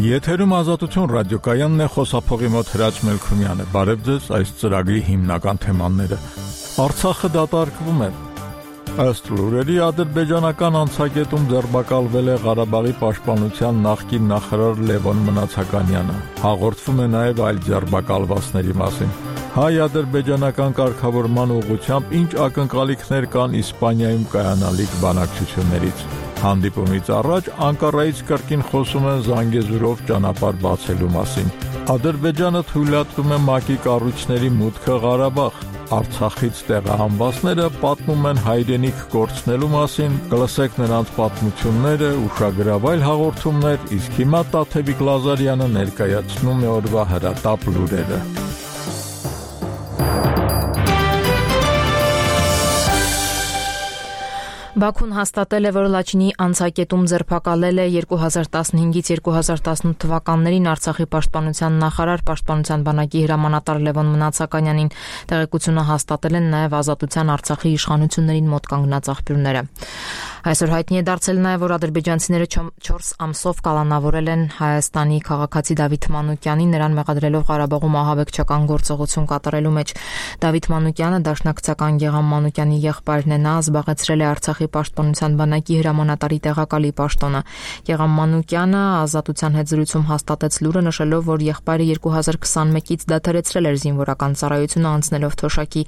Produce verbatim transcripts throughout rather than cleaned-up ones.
Եթերում Ազատություն ռադիոկայանն է, խոսափողի մոտ Հրաչ Մելքումյանը։ Բարև ձեզ, այս ծրագրի հիմնական թեմաները։ Արցախը դատարկվում է։ Ըստ լուրերի ադրբեջանական անցակետում ձերբակալվել է Ղարաբաղի պաշտպանության նախկին նախարար Լևոն Մնացականյանը։ Հաղորդվում է նաև այլ ձերբակալվածների մասին։ Հայ-ադրբեջանական կարգավորման ուղղությամբ ինչ ակնկալիքներ կան Իսպանիայում կայանալիք բանակցություններից։ Հանդիպումից առաջ Անկարայից կրկին խոսում են Զանգեզուրով ճանապարհ բացելու մասին։ Ադրբեջանը թույլատվում է ՄԱԿ-ի կառույցների մուտքը Ղարաբաղ։ Արցախից տեղահանվածները պատմում են հայրենիք կորցնելու մասին, կլսեք նրանց պատմությունները, ուշագրավ այլ հաղորդումներ, իսկ հիմա Տաթևիկ Լազարյանը ներկայացնում է օրվա հրատապ լուրերը։ Բաքուն հաստատել է, որ Լաչինի անցակետում ձերբակալել է երկու հազար տասնհինգից երկու հազար տասնութ թվականներին Արցախի պաշտպանության նախարար, պաշտպանության բանակի հրամանատար Լևոն Մնացականյանին։ Տեղեկությունը հաստատել են նաև Ազատության Արցախի իշխանություններին մոտ կանգնած աղբյուրները։ Այսօր հայտնի է դարձել նաև, որ ադրբեջանցիները չորս ամսով կալանավորել են Հայաստանի քաղաքացի Դավիթ Մանուկյանին, նրան մեղադրելով Ղարաբաղում ահաբեկչական գործողություն կատարելու մեջ։ Դավիթ Մանուկյանը դաշնակցական Գեգամ Մանուկյանի եղբայրն է, նա զբաղեցրել է Արցախի պաշտպանության բանակի հրամանատարի տեղակալի պաշտոնը։ Գեգամ Մանուկյանը Ազատության հետ զրույցում հաստատեց լուրը, նշելով, որ եղբայրը երկու հազար քսանմեկից դադարեցրել էր զինվորական ծառայությունը, անցնելով թոշակի։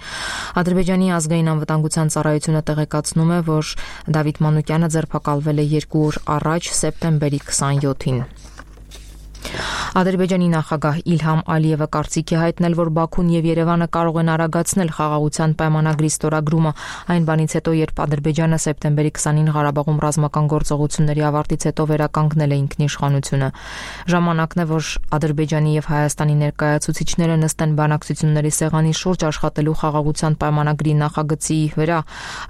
Ադրբեջանի ազգային անվտանգության ծառայությունը տեղեկացնում է, որ Դավիթ Մանուկյանը ձերբակալվել է երկու օր առաջ, սեպտեմբերի քսանյոթին։ Ադրբեջանի նախագահ Իլհամ Ալիևը կարծիք է հայտնել, որ Բաքուն եւ Երևանը կարող են արագացնել խաղաղության պայմանագրի ստորագրումը այն բանից հետո, երբ Ադրբեջանը սեպտեմբերի քսանին Ղարաբաղում ռազմական գործողությունների ավարտից հետո վերականգնել է ինքնիշխանությունը։ Ժամանակն է, որ Ադրբեջանի եւ Հայաստանի ներկայացուցիչները նստեն բանակցությունների սեղանի շուրջ աշխատելու խաղաղության պայմանագրի նախագծի վրա։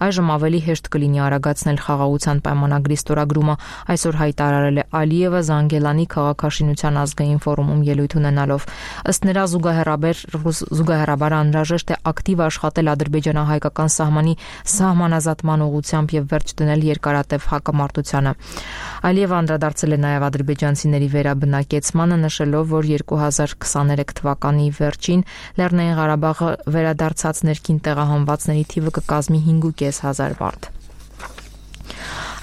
Այժմ ավելի հեշտ կլինի արագացնել խաղաղության պայմանագրի ստորագրումը, այսօր հայտարարել է Ալիևը Զանգելանի քաղաքաշինության ազգային ֆորումում ելույթ ունենալով։ Ըստ նրա զուգահեռաբար զուգահեռաբար անհրաժեշտ է ակտիվ աշխատել ադրբեջանահայկական սահմանի սահմանազատման ուղղությամբ եւ վերջ դնել երկարատև հակամարտությանը։ Ալիևը անդրադարձել է նաեւ ադրբեջանցիների վերաբնակեցմանը, նշելով, որ երկու հազար քսաներեք թվականի վերջին Լեռնային Ղարաբաղը վերադարձած ներքին տեղահանվածների թիվը կկազմի հինգ'ուկես հազար վարդ։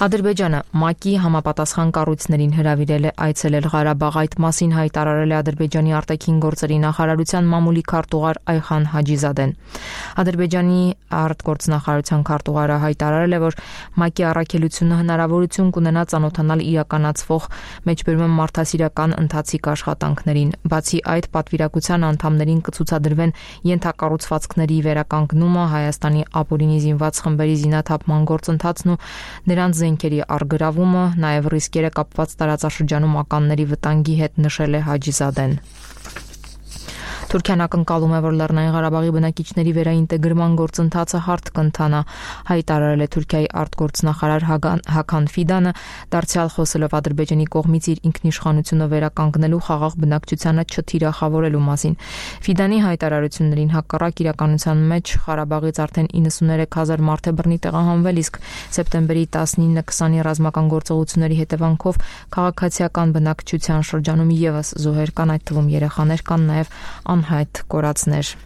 Ադրբեջանը ՄԱԿ-ի համապատասխան կառույցներին հրավիրել է այցելել Ղարաբաղ, այդ մասին հայտարարել է Ադրբեջանի արտաքին գործերի նախարարության մամուլի քարտուղար Այխան Հաջիզադեն։ Ադրբեջանի արտգործնախարարության քարտուղարը հայտարարել է, որ ՄԱԿ-ի առաքելությունը հնարավորություն կունենա ծանոթանալ իրականացվող մեջբերում մարդասիրական ընթացիկ աշխատանքներին։ Բացի այդ, պատվիրակության անդամներին կցուցադրվեն ենթակառուցվածքների վերականգնումը, Հայաստանի ապօրինի զինված խմբերի զինաթափման գործընթացն ու նրանց զենքերի առգրավումը, նաև ռիսկերը կապված տարածաշրջանում ականների վտանգի հետ, նշել է Հաջիզադեն։ Թուրքիան ակնկալում է, որ Լեռնային Ղարաբաղի բնակիչների վերաինտեգրման գործընթացը հարթ կընթանա, հայտարարել է Թուրքիայի արտգործնախարար Հական Ֆիդանը, դարձյալ խոսելով Ադրբեջանի կողմից իր ինքնիշխանությունը վերականգնելու խաղաղ բնակչությանը չթիրախավորելու մասին։ Ֆիդանի հայտարարություններին հակառակ իրականության մեջ Ղարաբաղից արդեն իննսուններեք հազար մարդ է բռնի տեղահանվել, իսկ սեպտեմբերի տասնինը քսանի ռազմական գործողությունների հետևանքով քաղաքացիական բնակչության շրջանում ևս զոհեր կան, այդ թվում երեխաներ կան, նաև անհայտ կորածներ։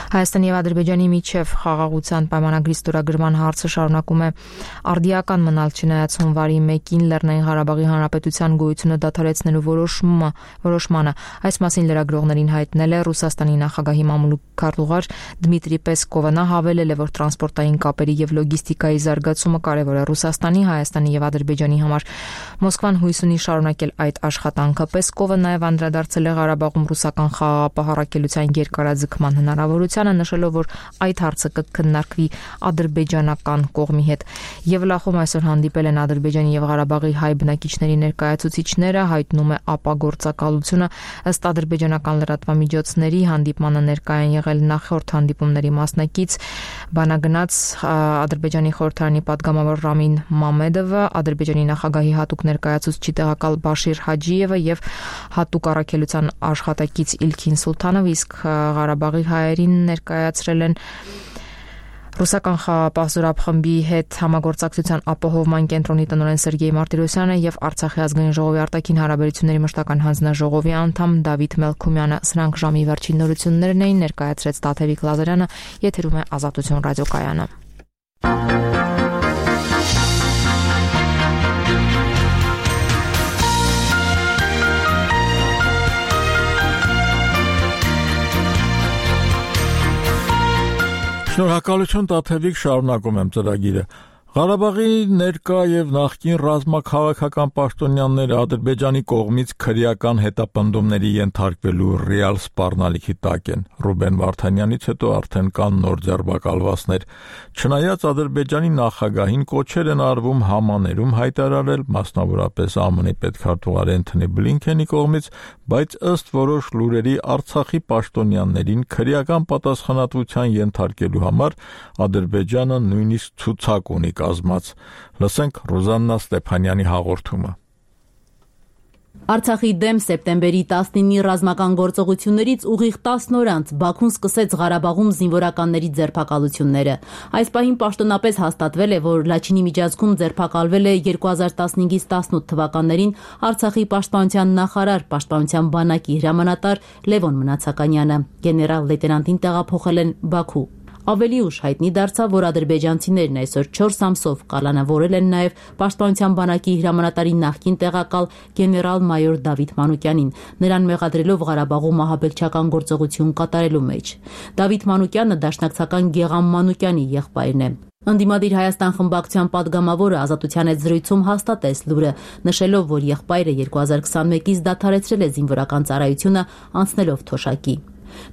Հայաստանի եւ Ադրբեջանի միջև խաղաղության պայմանագրի ստորագրման հարցը շարունակում է արդիական մնալ, չնայած հունվարի մեկին Լեռնային Ղարաբաղի Հանրապետության գոյությունը դադարեցնելու որոշումը որոշմանը։ Այս մասին լրագրողներին հայտնել է Ռուսաստանի նախագահի մամուլի քարտուղար Դմիտրի Պեսկովը։ Նա հավելել է, որ տրանսպորտային կապերի եւ լոգիստիկայի զարգացումը կարեւոր է Ռուսաստանի, Հայաստանի եւ Ադրբեջանի համար։ Մոսկվան հույս ունի շարունակել այդ աշխատանքը։ Պեսկովը նաեւ անդրադարձել է Ղարաբաղում ռուսական խաղաղապահ առաքելության երկարաձգման հնարավորությանը, նշելով, որ այդ հարցը կքննարկվի ադրբեջանական կողմի հետ։ Եվլախում այսօր հանդիպել են Ադրբեջանի եւ Ղարաբաղի հայ բնակիչների ներկայացուցիչները, հայտնում է ապագործակալությունը։ Ըստ ադրբեջանական լրատվամիջոցների հանդիպմանը ներկայ են եղել նախորդ հանդիպումների մասնակից բանագնաց Ադրբեջանի խորհրդարանի պատգամավոր Ռամին Մամեդովը, Ադրբեջանի նախագահի հատուկ ներկայացուցիչ տեղակալ Բաշիր Հաջիևը եւ հատուկ առաքելության աշխատակից Իլքին Սուլթանովը, իսկ Ղարաբաղի հայերին ներկայացրել են Ռուսական խաղապահ զորախմբի հետ համագործակցության ապահովման կենտրոնի տնօրեն Սերգեյ Մարտիրոսյանը եւ Արցախի ազգային ժողովի արտաքին հարաբերությունների մշտական հանձնաժողովի անդամ Դավիթ Մելքումյանը սրանք ժամի վերջին նորություններն էին, ներկայացրեց Տաթևիկ Լազարյանը, եթերում է Ազատություն ռադիոկայանը։ Շնորհակալություն Տաթևիկ, շարունակում եմ ծրագիրը։ Ղարաբաղի ներկա եւ նախկին ռազմաքաղաքական պաշտոնյաները Ադրբեջանի կողմից քրեական հետապնդումների ենթարկվելու ռեալ սպառնալիքի տակ են։ Ռուբեն Վարդանյանից հետո արդեն կան նոր ձերբակալվածներ։ Չնայած Ադրբեջանի նախագահին կոչեր են արվում համաներում հայտարարել, մասնավորապես ԱՄՆ-ի պետքարտուղար Էնթոնի Բլինքենի կողմից, բայց ըստ որոշ լուրերի Արցախի պաշտոնյաներին քրեական պատասխանատվության ենթարկելու համար Ադրբեջանը նույնիսկ ցուցակ ունի կազմած։ Լսենք Ռուզաննա Ստեփանյանի հաղորդումը։ Արցախի դեմ սեպտեմբերի տասնինի ռազմական գործողություններից ուղիղ տասն օր անց Բաքուն սկսեց Ղարաբաղում զինվորականների ձերբակալությունները։ Այս պահին պաշտոնապես հաստատվել է, որ Լաչինի միջանցքում ձերբակալվել է երկու հազար տասնհինգից տասնութ թվականներին Արցախի պաշտպանության նախարար, պաշտպանության բանակի հրամանատար Լևոն Մնացականյանը։ Գեներալ լեյտենանտին տեղափոխել են Բաքու։ Ավելի ուշ հայտնի դարձավ, որ ադրբեջանցիներն այսօր չորս ամսով կալանավորել են նաև պաշտպանության բանակի հրամանատարի նախկին տեղակալ գեներալ-մայոր Դավիթ Մանուկյանին, նրան մեղադրելով Ղարաբաղում ահաբեկչական գործողություն կատարելու մեջ։ Դավիթ Մանուկյանը դաշնակցական Գեգամ Մանուկյանի եղբայրն է։ Ընդդիմադիր Հայաստան խմբակցության падգամավորը Ազատության հետ զրույցում հաստատեց լուրը, նշելով, որ եղբայրը երկու հազար քսանմեկից դադարեցրել է զինվորական ծառայությունը, անցնելով թոշակի։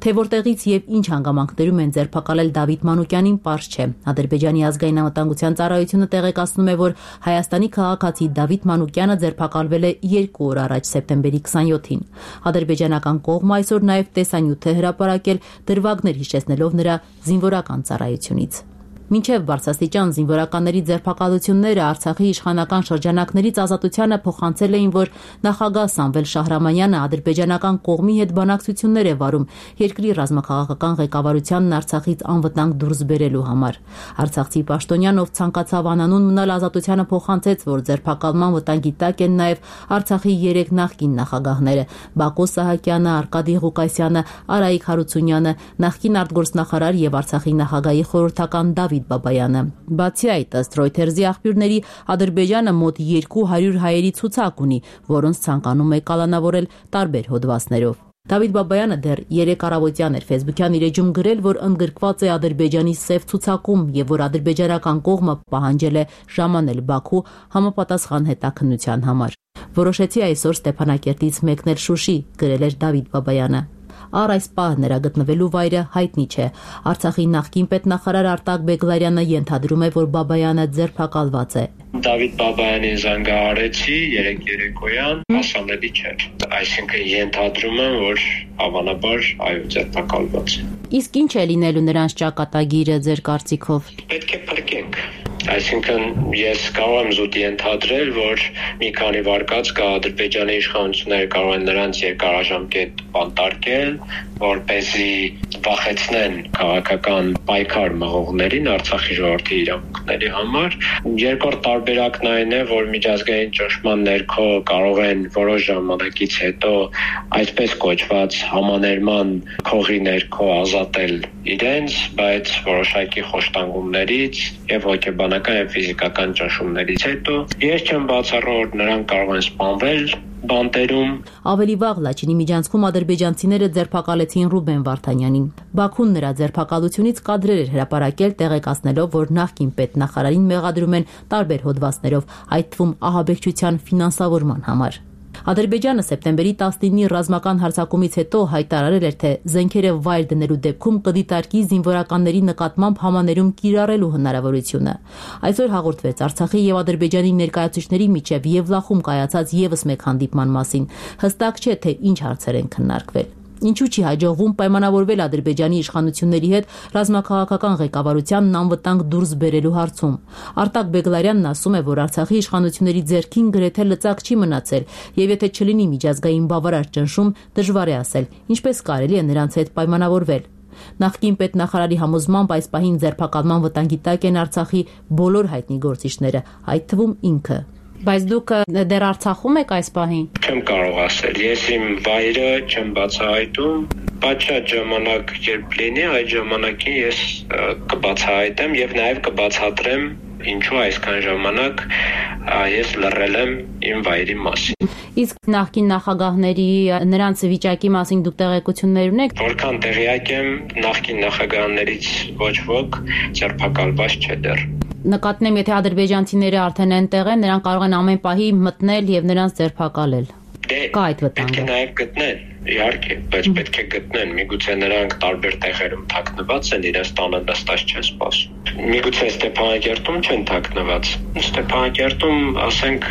Թե որտեղից եւ ինչ հանգամանքներում են ձերբակալել Դավիթ Մանուկյանին, պարզ չէ։ Ադրբեջանի ազգային անվտանգության ծառայությունը տեղեկացնում է, որ Հայաստանի քաղաքացի Դավիթ Մանուկյանը ձերբակալվել է երկու օր առաջ, սեպտեմբերի քսանյոթին։ Ադրբեջանական կողմը այսօր նաեւ տեսանյութ է հրապարակել, դրվագներ հիշեցնելով նրա զինվորական ծառայությունից։ Մինչև բարձրաստիճան զինվորականների ձերբակալությունները Արցախի իշխանական շրջանակներից Ազատությանը փոխանցել էին, որ նախագահ Սամվել Շահրամանյանը ադրբեջանական կողմի հետ բանակցություններ է վարում երկրի ռազմաքաղաքական ղեկավարությանն Արցախից անվտանգ դուրս բերելու համար։ Արցախցի պաշտոնյան, ով ցանկացավ անանուն մնալ, Ազատությանը փոխանցեց, որ ձերբակալման վտանգի տակ են նաև Արցախի երեք նախկին նախագահները՝ Բակո Սահակյանը, Արկադի Ղուկասյանը, Արայիկ Հարությունյանը, նախկին արտգործնախարար եւ Արցախի նախագահի խորհրդական Դավիթ Բաբայանը։ Բացի այդ, ըստ Reuters-ի աղբյուրների, Ադրբեջանը մոտ երկու հարյուր հայերի ցուցակ ունի, որոնց ցանկանում է կալանավորել տարբեր հոդվածներով։ Դավիթ Բաբայանը դեռ երեք առավոտյան էր Facebook-յան իր էջում գրել, որ ընդգրկված է Ադրբեջանի սև ցուցակում եւ որ ադրբեջանական կողմը պահանջել է ժամանել Բաքու համապատասխան հետաքննության համար։ Որոշեցի այսօր Ստեփանակերտից մեկնել Շուշի, գրել էր Դավիթ Բաբայանը։ Առ այս պահ նրա գտնվելու վայրը հայտնի չէ։ Արցախի նախկին պետնախարար Արտակ Բեգլարյանը ենթադրում է, որ Բաբայանը ձերբակալված է։ Դավիթ Բաբայանին զանգահարեցի երեք երեկոյան, հասանելի չէր։ Այսինքն ենթադրում եմ, որ հավանաբար այո ձերբակալված է։ Իսկ ինչ է լինելու նրանց ճակատագիրը ձեր կարծիքով։ Պետք է փրկենք։ Այսինքն ես կարող եմ զուտ ենթադրել, որ մի քանի վարկած կա Ադրբեջանի իշխանությունները կարող են նրանց երկարաժամկետ բանտարկել, որպեսզի վախեցնեն քաղաքական պայքար մղողներին Արցախի ժողովրդի իրավունքների համար։ Երկրորդ տարբերակն այն է, որ միջազգային ճնշման ներքո կարող են որոշ ժամանակից հետո այսպես կոչված համաներման քողի ներքո ազատել իրենց, բայց որոշակի խոշտանգումներից եւ հոգեբանական եւ ֆիզիկական ճնշումներից հետո ես չեմ բացառում, որ նրանք կարող են սպանվել բանտերում։ Ավելի վաղ Լաչինի միջանցքում ադրբեջանցիները ձերբակալեցին Ռուբեն Վարդանյանին։ Բաքուն նրա ձերբակալությունից կադրեր էր հրապարակել, տեղեկացնելով, որ նախկին պետնախարարին մեղադրում են տարբեր հոդվածներով, այդ թվում ահաբեկչության ֆինանսավորման համար։ Ադրբեջանը սեպտեմբերի տասնինի ռազմական հարձակումից հետո հայտարարել էր, թե զենքերը վայր դնելու դեպքում կդիտարկի զինվորականների նկատմամբ համաներում կիրառելու հնարավորությունը։ Այսօր հաղորդվեց Արցախի եւ Ադրբեջանի ներկայացուցիչների միջև Եվլախում կայացած եւս մեկ հանդիպման մասին։ Հստակ չէ, թե ինչ հարցեր են քննարկվել։ Ինչու չի հաջողվում պայմանավորվել Ադրբեջանի իշխանությունների հետ ռազմաքաղաքական ղեկավարությանն անվտանգ դուրս բերելու հարցում։ Արտակ Բեգլարյանն ասում է, որ Արցախի իշխանությունների ձեռքին գրեթե լծակ չի մնացել, եւ եթե չլինի միջազգային բավարար ճնշում, դժվար է ասել, ինչպես կարելի է նրանց հետ պայմանավորվել։ Նախկին պետնախարարի համոզմամբ այս պահին ձերբակալման վտանգի տակ են Արցախի բոլոր հայտնի գործիչները, այդ թվում ինքը։ Բայց դուք դեռ Արցախում եք այս պահին։ Չեմ կարող ասել, ես իմ վայրը չեմ բացահայտում, պատշաճ ժամանակ երբ լինի, այդ ժամանակին ես կբացահայտեմ եւ նաեւ կբացատրեմ ինչու այսքան ժամանակ ես լռել եմ իմ վայրի մասին։ Իսկ նախկին նախագահների նրանց վիճակի մասին դուք տեղեկություններ ունեք։ Որքան տեղյակ եմ, նախկին նախագահներից ոչ ոք ձերբակալված չէ դեռ։ Նկատնեմ, եթե ադրբեջանցիները արդեն այնտեղ են, նրանք կարող են ամեն պահի մտնել եւ նրանց ձերբակալել։ Կա այդ վտանգը։ Պետք է նաեւ գտնեն, իհարկե, բայց պետք է գտնեն։ Միգուցե նրանք տարբեր տեղերում թաքնված են, իրենց տանը նստած չեն սպասում։ Միգուցե Ստեփանակերտում չեն թաքնված։ Ստեփանակերտում, ասենք,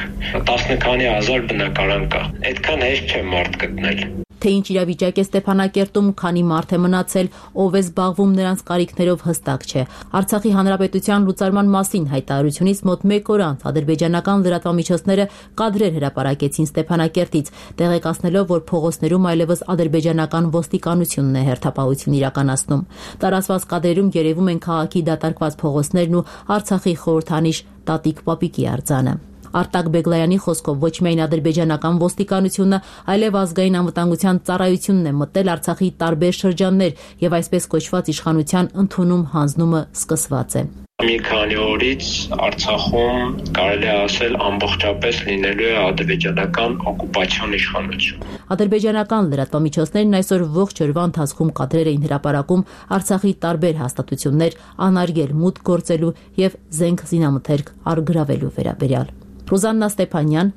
տասը քանի հազար բնակարան կա։ Այդքան հեշտ չէ մարդ գտնել։ Թե ինչ իրավիճակ է Ստեփանակերտում, քանի մարդ է մնացել, ով է զբաղվում նրանց կարիքներով հստակ չէ։ Արցախի հանրապետության լուծարման մասին հայտարարությունից մոտ մեկ օր անց ադրբեջանական լրատվամիջոցները կադրեր հրապարակեցին Ստեփանակերտից, տեղեկացնելով, որ փողոցներում այլևս ադրբեջանական ոստիկանությունն է հերթապահություն իրականացնում։ Տարածված կադրերում երևում են քաղաքի դատարկված փողոցներն ու Արցախի խորհրդանիշ Տատիկ Պապիկի արձանը։ Արտակ Բեգլայանի խոսքով ոչ միայն ադրբեջանական ոստիկանությունը, այլև ազգային անվտանգության ծառայությունն է մտել Արցախի տարբեր շրջաններ եւ այսպես կոչված իշխանության ընդունում հանձնումը սկսված է։ Մի քանի օրից Արցախում կարելի է ասել ամբողջապես լինելու է ադրբեջանական օկուպացիոն իշխանություն։ Ադրբեջանական լրատվամիջոցներն այսօր ողջ օրվա ընթացքում կադրեր էին հրապարակում Արցախի տարբեր հաստատություններ անարգել մուտք գործելու եւ զենք զինամթերք առգրավելու վերաբերյալ։ Ռուզաննա Ստեփանյան,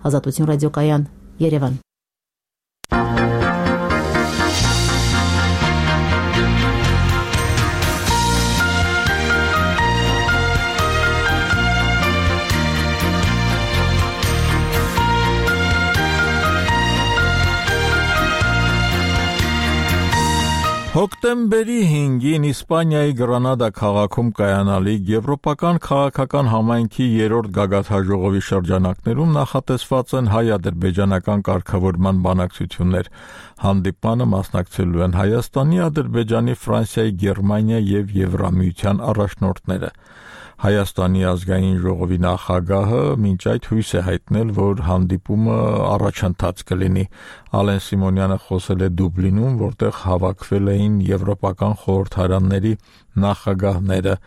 Ազատություն ռադիոկայան, Երևան։ Հոկտեմբերի հինգին Իսպանիայի Գրանադա քաղաքում կայանալիք Եվրոպական քաղաքական համայնքի երրորդ գագաթնաժողովի շրջանակներում նախատեսված են հայ-ադրբեջանական կարգավորման բանակցություններ։ Հանդիպմանը մասնակցելու են Հայաստանի, Ադրբեջանի, Ֆրանսիայի, Գերմանիայի եւ Եվրամիության առաջնորդները։ Հայաստանի ազգային ժողովի նախագահը մինչ այդ հույս է հայտնել, որ հանդիպումը առաջընթաց կլինի։ Ալեն Սիմոնյանը խոսել է Դուբլինում, որտեղ հավաքվել էին եվրոպական խորհրդարանների նախագահները։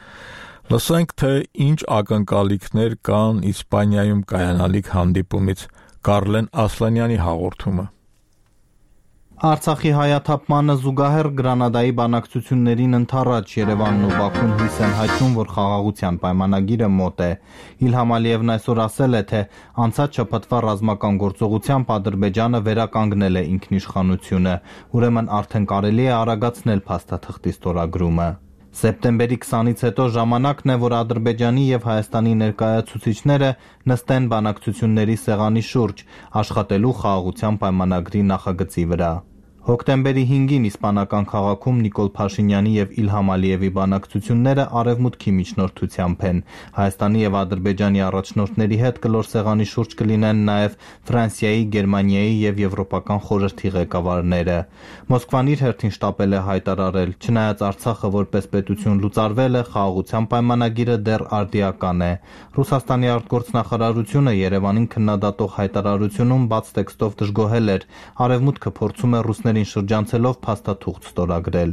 Լսենք, թե ինչ ակնկալիքներ կան Իսպանիայում կայանալիք հանդիպումից։ Կարլեն Ասլանյանի հաղորդումը։ Արցախի հայաթափմանը զուգահեռ Գրանադայի բանակցություններին ընդառաջ Երևանն ու Բաքուն հույս են հայտնում, որ խաղաղության պայմանագիրը մոտ է։ Իլհամ Ալիևն այսօր ասել է, թե անցած շաբաթվա ռազմական գործողությամբ Ադրբեջանը վերականգնել է ինքնիշխանությունը, ուրեմն արդեն կարելի է արագացնել փաստաթղթի ստորագրումը։ Սեպտեմբերի քսանից հետո ժամանակն է, որ Ադրբեջանի եւ Հայաստանի ներկայացուցիչները նստեն բանակցությունների սեղանի շուրջ, աշխատելու խաղաղության պայմանագրի նախագծի վրա։ Հոկտեմբերի հինգին իսպանական քաղաքում Նիկոլ Փաշինյանի եւ Իլհամ Ալիևի բանակցությունները արևմուտքի միջնորդությամբ են։ Հայաստանի եւ Ադրբեջանի առաջնորդների հետ կլոր սեղանի շուրջ կլինեն նաեւ Ֆրանսիայի, Գերմանիայի եւ Եվրոպական խորհրդի ղեկավարները։ Մոսկվան իր հերթին շտապել է հայտարարել, չնայած Արցախը որպես պետություն լուծարվել է, խաղաղության պայմանագիրը դեռ արդիական է։ Ռուսաստանի արտգործնախարարությունը Երևանին քննադատող հայտարարությունում բաց տեքստով դժգոհել էր, արևմուտքը փորձում է ռուսների շրջանցելով փաստաթուղթ ստորագրել։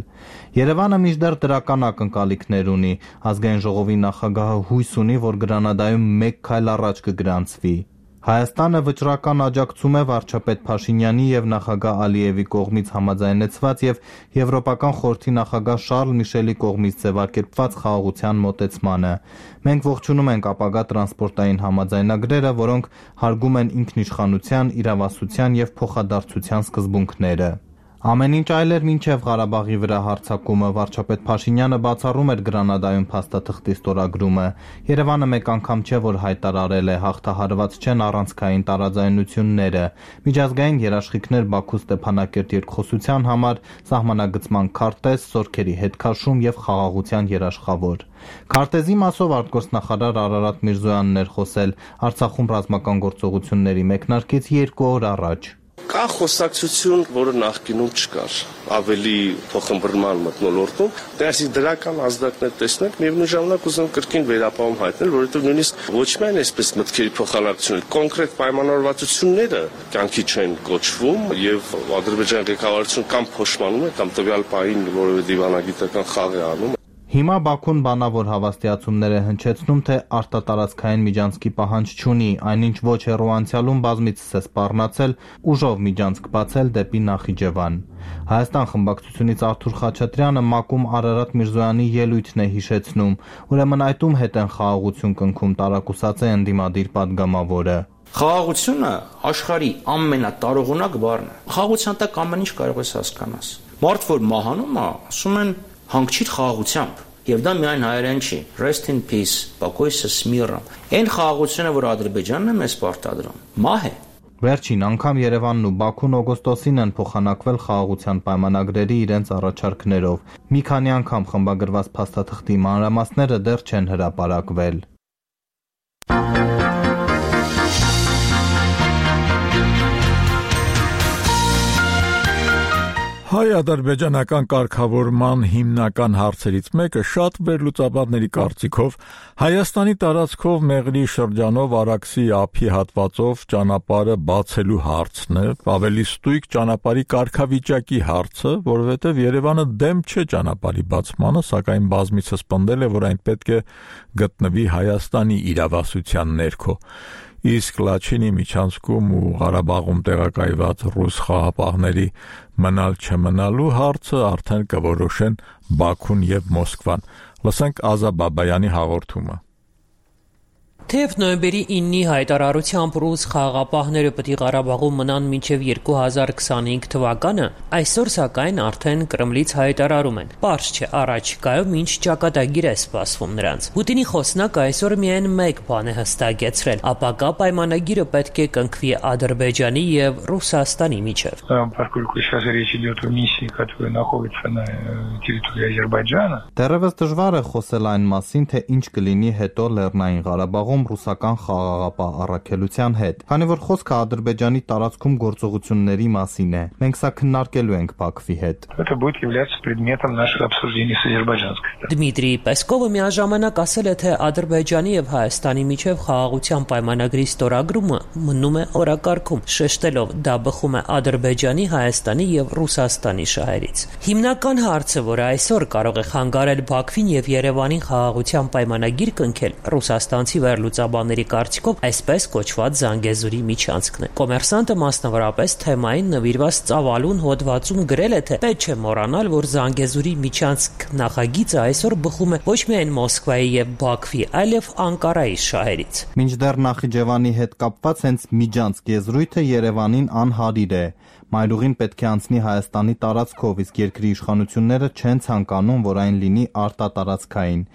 Երևանը մինչդեռ դրական ակնկալիքներ ունի։ Ազգային ժողովի նախագահը հույս ունի, որ Գրանադայում մեկ քայլ առաջ կգրանցվի։ Հայաստանը վճռական աջակցում է վարչապետ Փաշինյանի եւ նախագահ Ալիևի կողմից համաձայնեցված եւ Եվրոպական խորհրդի նախագահ Շարլ Միշելի կողմից ձևակերպված խաղաղության մոտեցմանը։ Մենք ողջունում ենք ապագա տրանսպորտային համաձայնագրերը, որոնք հարգում են ինքնիշխանության, իրավասության եւ փոխադարձության սկզբունքները։ Ամեն ինչ այլ էր մինչև Ղարաբաղի վրա հարձակումը, վարչապետ Փաշինյանը բացառում էր Գրանադայում փաստաթղթի ստորագրումը։ Երևանը մեկ անգամ չէ, որ հայտարարել է, հաղթահարված չեն առանցքային տարաձայնությունները։ Միջազգային երաշխիքներ Բաքու Ստեփանակերտ երկխոսության համար, սահմանագծման քարտեզ, սորքերի հետքաշում եւ խաղաղության երաշխավոր։ Քարտեզի մասով արտգործնախարար Արարատ Միրզոյանն էր խոսել Արցախում ռազմական գործողությունների մեկնարկից երկու օր առաջ։ Կա խոսակցություն, որը նախկինում չկար, ավելի փոխըմբռնման մթնոլորտում, դրանցի դրական ազդակներ տեսնել, միևնույն ժամանակ ուզում կրկին վերապահում հայտնել, որովհետև նույնիսկ ոչ միայն այսպես մտքերի փոխանակություն, կոնկրետ պայմանավորվածությունները կյանքի չեն կոչվում եւ Ադրբեջանի ղեկավարությունը կամ փոշմանում է, կամ տվյալ պահին որևէ դիվանագիտական խաղ է անում։ Հիմա Բաքուն բանավոր հավաստիացումներ է հնչեցնում, թե արտատարածքային միջանցքի պահանջ չունի, այնինչ ոչ հեռու անցյալում բազմիցս է սպառնացել ուժով միջանցք բացել դեպի Նախիջևան։ Հայաստան խմբակցությունից Արթուր Խաչատրյանը ՄԱԿ-ում Արարատ Միրզոյանի ելույթն է հիշեցնում, ուրեմն այդում հետ են խաղաղություն կնքում, տարակուսած է ընդդիմադիր падգամավորը։ Խաղաղությունը աշխարհի ամենատարողունակ բառն է։ Խաղաղության տակ ամեն ինչ կարող ես հասկանալ։ Մարդ որ մահանում է, ասում են հանգչիր խաղաղությամբ, եւ դա միայն հայերեն չի, rest in peace, покойся с миром։ Այն խաղաղությունը, որ Ադրբեջանն է մեզ պարտադրում, մահ է։ Վերջին անգամ Երևանն ու Բաքուն օգոստոսին են փոխանակվել խաղաղության պայմանագրերի իրենց առաջարկներով։ Մի քանի անգամ խմբագրված փաստաթղթի մանրամասները դեռ չեն հրապարակվել։ Հայ-ադրբեջանական կարգավորման հիմնական հարցերից մեկը շատ վերլուծաբանների կարծիքով Հայաստանի տարածքով Մեղրի շրջանով Արաքսի ափի հատվածով ճանապարհը բացելու հարցն է, ավելի ստույգ ճանապարհի կարգավիճակի հարցը, որովհետև Երևանը դեմ չէ ճանապարհի բացմանը, սակայն բազմիցս պնդել է, որ այն պետք է գտնվի Հայաստանի իրավասության ներքո։ Իսկ Լաչինի միջանցքում ու Ղարաբաղում տեղակայված ռուս խաղապահների մնալ չմնալու հարցը արդեն կորոշեն Բաքուն եւ Մոսկվան։ Լսենք Ազա Բաբայանի հաղորդումը։ Թեև նոյեմբերի իննի հայտարարությամբ ռուս խաղաղապահները պիտի Ղարաբաղում մնան մինչև երկու հազար քսանհինգ թվականը, այսօր սակայն արդեն Կրեմլից հայտարարում են։ Պարզ չէ առաջիկայում ինչ ճակատագիր է սպասվում նրանց։ Պուտինի խոսնակը այսօր միայն մեկ բան է հստակեցրել՝ ապակա պայմանագիրը պետք է կնքվի Ադրբեջանի եւ Ռուսաստանի միջև։ Դեռևս դժվար է խոսել այն մասին, թե ինչ կլինի հետո Լեռնային Ղարաբաղում ռուսական խաղաղապահ առաքելության հետ, քանի որ խոսքը Ադրբեջանի տարածքում գործողությունների մասին է։ Մենք սա քննարկելու ենք Բաքվի հետ։ Դմիտրի Պեսկովը միաժամանակ ասել է, թե Ադրբեջանի եւ Հայաստանի միջև խաղաղության պայմանագրի ստորագրումը մնում է օրակարգում, շեշտելով դա բխում է Ադրբեջանի, Հայաստանի եւ Ռուսաստանի շահերից։ Հիմնական հարցը, որը այսօր կարող է խանգարել Բաքվին եւ Երևանին խաղաղության պայմանագիր կնքել, ռուսաստանցի վերլուծաբանների կարծիքով այսպես կոչված Զանգեզուրի միջանցքն է։ Կոմերսանտը մասնավորապես թեմային նվիրված ծավալուն հոդվածում գրել է, թե պետք չէ մոռանալ, որ Զանգեզուրի միջանցք նախագիծը այսօր բխում է ոչ միայն Մոսկվայի եւ Բաքվի, այլև Անկարայի շահերից։ Մինչդեռ Նախիջևանի հետ կապված հենց միջանցք եզրույթը Երևանին անհարիր է։ Մայրուղին պետք է անցնի Հայաստանի տարածքով, իսկ երկրի իշխանությունները չեն ցանկանում, որ այն լինի արտատարածքային։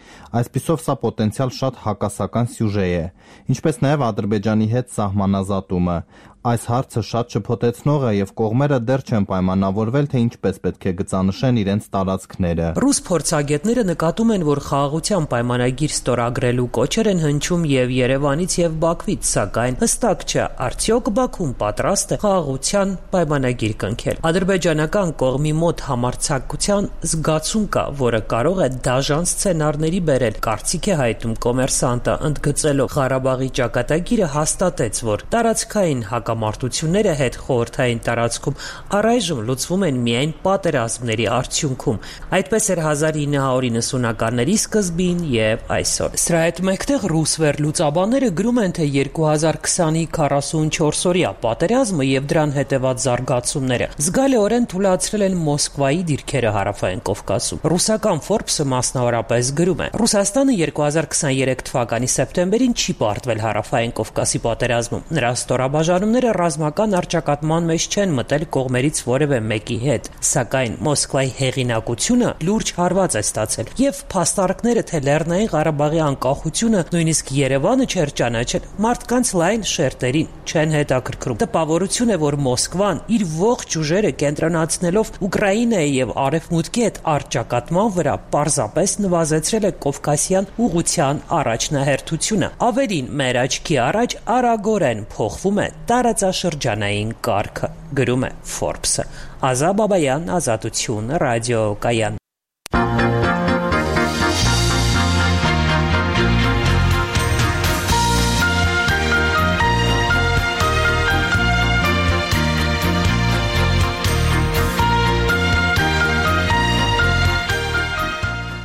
Այսպիսով սա պոտենցիալ շատ հակասական սյուժե է, ինչպես նաև Ադրբեջանի հետ սահմանազատումը։ Այս հարցը շատ շփոթեցնող է եւ կողմերը դեռ չեն պայմանավորվել, թե ինչպես պետք է գծանշեն իրենց տարածքները։ Ռուս փորձագետները նկատում են, որ խաղաղության պայմանագիր ստորագրելու կոչեր են հնչում եւ Երևանից եւ Բաքվից, սակայն հստակ չէ, արդյոք Բաքուն պատրաստ է խաղաղության պայմանագիր կնքել։ Ադրբեջանական կողմի մոտ համարձակության զգացում կա, որը կարող է դաժան սցենարների բերել։ Կարծիք է հայտնում Կոմերսանտը, ընդգծելով Ղարաբաղի ճակատագիրը հաստատեց, որ տարածքային հակամարտությունները հետ խորհրդային տարածքում առայժմ լուծվում են միայն պատերազմների արդյունքում։ Այդպես էր հազար ինը հարյուր իննսունականների սկզբին եւ այսօր։ Սրա հետ մեկտեղ ռուս վերլուծաբանները գրում են, թե երկու հազար քսանի քառասունչորս-օրյա պատերազմը եւ դրան հետեւած զարգացումները զգալիորեն թույլատրել են Մոսկվայի դիրքերը հարավային Կովկասում։ Ռուսական Forbes-ը մասնավորապես գրում է. Ռուսաստանը երկու հազար քսաներեք թվականի սեպտեմբերին չի պարտվել հարավային Կովկասի պատերազմում։ Նրա ստորաբաժանումները ռազմական առճակատման մեջ չեն մտել կողմերից որևէ մեկի հետ, սակայն Մոսկվայի հեղինակությունը լուրջ հարված է ստացել եւ փաստարկները, թե Լեռնային Ղարաբաղի անկախությունը նույնիսկ Երևանը չէր ճանաչել, մարդկանց լայն շերտերին չեն հետաքրքրում։ Տպավորություն է, որ Մոսկվան իր ողջ ուժերը կենտրոնացնելով Ուկրաինայի եւ Արևմուտքի հետ առճակատման վրա պարզապես նվազեցրել է Կովկասյան ուղղության առաջնահերթությունը։ Ավելին, մեր աչքի առաջ արագորեն փոխվում է տարածքային տարածաշրջանային կարգը, գրում է Forbes-ը։ Ազա Բաբայան, Ազատություն, Ռադիո Կայան։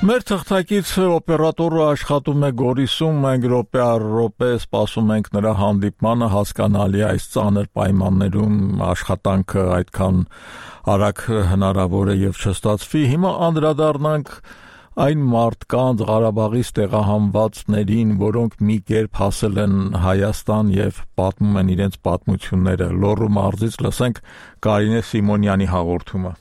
Մեր թղթակիցը օպերատորը աշխատում է Գորիսում, մենք րոպե առ րոպե սպասում ենք նրա հանդիպմանը, հասկանալի այս ծանր պայմաններում աշխատանքը այդքան արագ հնարավոր է եւ չստացվի։ Հիմա անդրադառնանք այն մարդկանց Ղարաբաղից տեղահանվածներին, որոնք մի կերպ հասել են Հայաստան եւ պատմում են իրենց պատմությունները։ Լոռու մարզից լսենք Կարինե Սիմոնյանի հաղորդումը։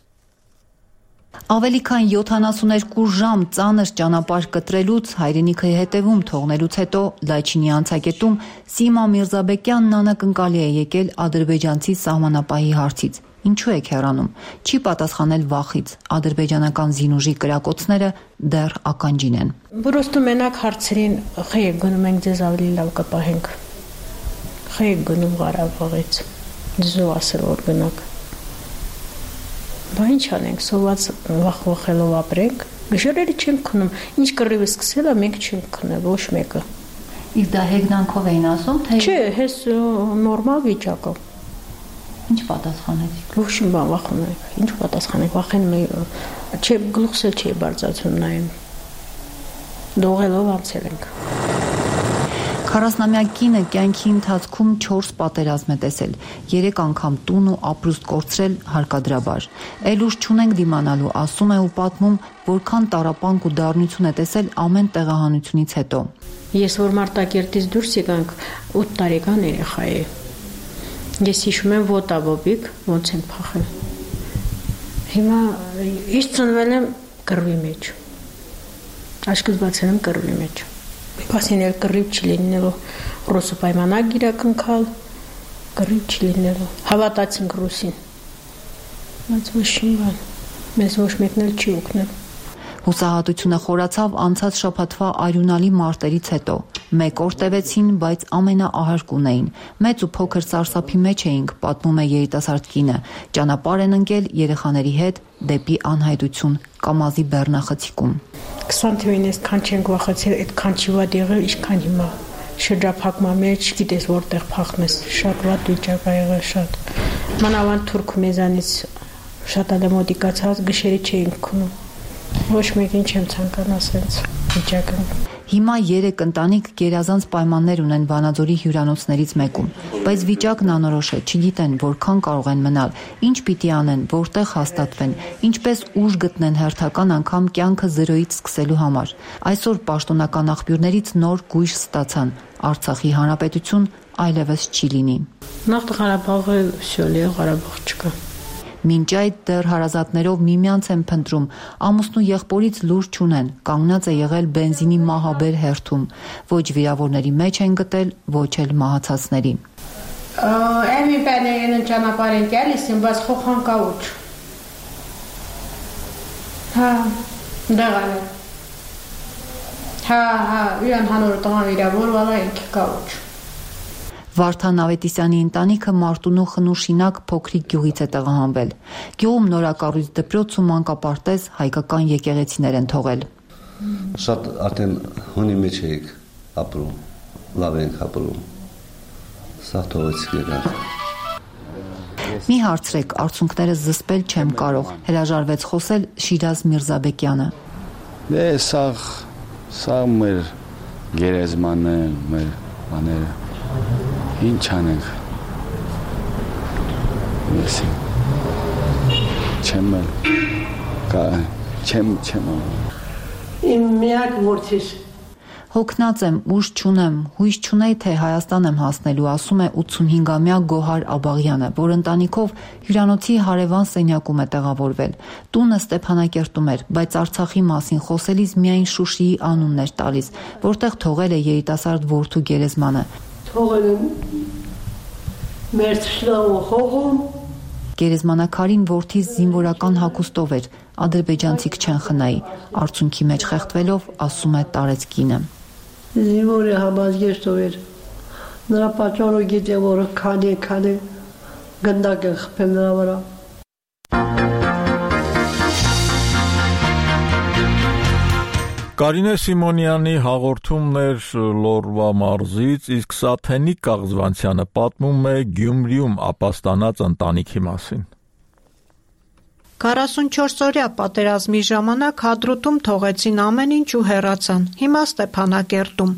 Ավելի քան յոթանասուներկու ժամ ծանր ճանապարհ կտրելուց, հայրենիքը հետևում թողնելուց հետո Լաչինի անցակետում Սիմա Միրզաբեկյանն անակնկալի է եկել ադրբեջանցի սահմանապահի հարցից. Ինչու եք հեռանում, չի պատասխանել վախից, ադրբեջանական զինուժի կրակոցները դեռ ականջին են։ Պրոստո մենակ հարցերին խե գնում ենք ձեզ ավելի լավ կպահենք, խե գնում Ղարաբաղից, ձեզ ասել որ գնաք։ Բա ինչ անենք, սոված վախ-վախելով ապրենք, գիշերերը չենք քնում, ինչ կռիվը սկսել է, մենք չենք քնել, ոչ մեկը։ Իսկ դա հեգնանքով էին ասում, թե Չէ, հես նորմալ վիճակով։ Ինչ պատասխանեցիք։ Ոչ մի բան վախում եք, ինչ պատասխանեք, վախենում եք, չէ, գլուխս էլ չի բարձրացում նայում։ Դողելով անցել ենք։ քառասնամյա կինը կյանքի ընթացքում չորս պատերազմ է տեսել, երեք անգամ տուն ու ապրուստ կորցրել հարկադրաբար։ Էլ ուժ չունենք դիմանալու, ասում է ու պատմում, որքան տառապանք ու դառնություն է տեսել ամեն տեղահանությունից հետո։ Ես որ Մարտակերտից դուրս եկանք, ութ տարեկան երեխա էի։ Ես հիշում եմ ոտաբոբիկ, ոնց են փախել։ Հիմա ես ծնվել եմ կռվի մեջ։ Աչքս բացել եմ կռվի մեջ։ Պասին էլ կռիվ չի լինելու, ռուսը պայմանագիր ակնքալ, կռիվ չի լինելու, հավատացինք ռուսին, բայց ոչ մի բան, մեզ ոչ մեկն էլ չի օգնել։ Հուսահատությունը խորացավ անցած շաբաթվա արյունալի մարտերից հետո, մեկ օր տևեցին, բայց ամենաահարկուն էին, մեծ ու փոքր սարսափի մեջ էինք, պատմում է երիտասարդ կինը, ճանապարհ են ընկել երեխաների հետ դեպի անհայտություն Կամազի բեռնախցիկում։ քսան թվին այսքան չենք վախեցել, այդքան չի վատ եղել, ինչքան հիմա։ Շրջափակման մեջ չգիտես որտեղ փախնես, շատ վատ վիճակ ա եղել, շատ։ Մանավանդ թուրք մեզանից շատ ալմոդիկացած գշերի չէինք քնում։ Ոչ մեկին չեմ ցանկանա ասենց վիճակը։ Հիմա երեք ընտանիք գերազանց պայմաններ ունեն Վանաձորի հյուրանոցներից մեկում, բայց վիճակն անորոշ է, չգիտեն որքան կարող են մնալ, ինչ պիտի անեն, որտեղ հաստատվեն, ինչպես ուժ գտնեն հերթական անգամ կյանքը զրոյից սկսելու համար։ Այսօր պաշտոնական աղբյուրներից նոր գույժ ստացան, Արցախի հանրապետություն այլևս չի լինի։ Նախ Ղարաբաղը всё լի, Ղարաբաղ չկա։ Մինչ այդ դեռ հարազատներով միմյանց են փնտրում, ամուսնու եղբորից լուր չունեն, կանգնած է եղել բենզինի մահաբեր հերթում, ոչ վիրավորների մեջ են գտել, ոչ էլ մահացածների։ Էմի բաներն ճանապարհ են գալիս, բայց խոխան կաուչ։ Հա, դեղալ։ Հա, հա, իրան հանորը տղան վիրավորվել է, ինքը կաուչ։ Վարդան Ավետիսյանի ընտանիքը Մարտունու Խնուշինակ փոքրիկ գյուղից է տեղահանվել։ Գյուղում նորակառույց դպրոց ու մանկապարտեզ հայկական եկեղեցիներ են թողել։ Շատ արդեն հունի մեջ էինք ապրում, լավ ենք ապրում։ Սա թողեցիք եկանք։ Մի հարցրեք, արցունքները զսպել չեմ կարող, հրաժարվեց խոսել Շիրազ Միրզաբեկյանը։ Դե սա սա մեր գերեզմանն է, մեր բաները։ Ինչ անենք։ Ես չեմ կա չեմ չեմ Իմ միակ որդիս Հոգնած եմ, ուժ չունեմ, հույս չունեի, թե Հայաստան եմ հասնելու, ասում է ութսունհինգամյա Գոհար Աբաղյանը, որ ընտանիքով հյուրանոցի հարևան սենյակում է տեղավորվել։ Տունը Ստեփանակերտում էր, բայց Արցախի մասին խոսելիս միայն Շուշիի անունն էր տալիս, որտեղ թողել է երիտասարդ որդու գերեզմանը։ Թողել եմ մեր շլավը հողում։ Գերեզմանակարին որդիս զինվորական հագուստով էր, ադրբեջանցիք չեն խնայի, արցունքի մեջ խեղդվելով ասում է տարեց կինը։ Զինվորը համազգեստով էր, Նրա պատճառը գիտե, որ քանի քանի գնդակ է խփել նրա վրա։ Կարինե Սիմոնյանի հաղորդումն էր Լորվա մարզից, իսկ Սաթենիկ Կաղզվանցյանը պատմում է Գյումրիում ապաստանած ընտանիքի մասին։ քառասունչորս-օրյա պատերազմի ժամանակ Հադրութում թողեցին ամեն ինչ ու հեռացան։ Հիմա Ստեփանակերտում։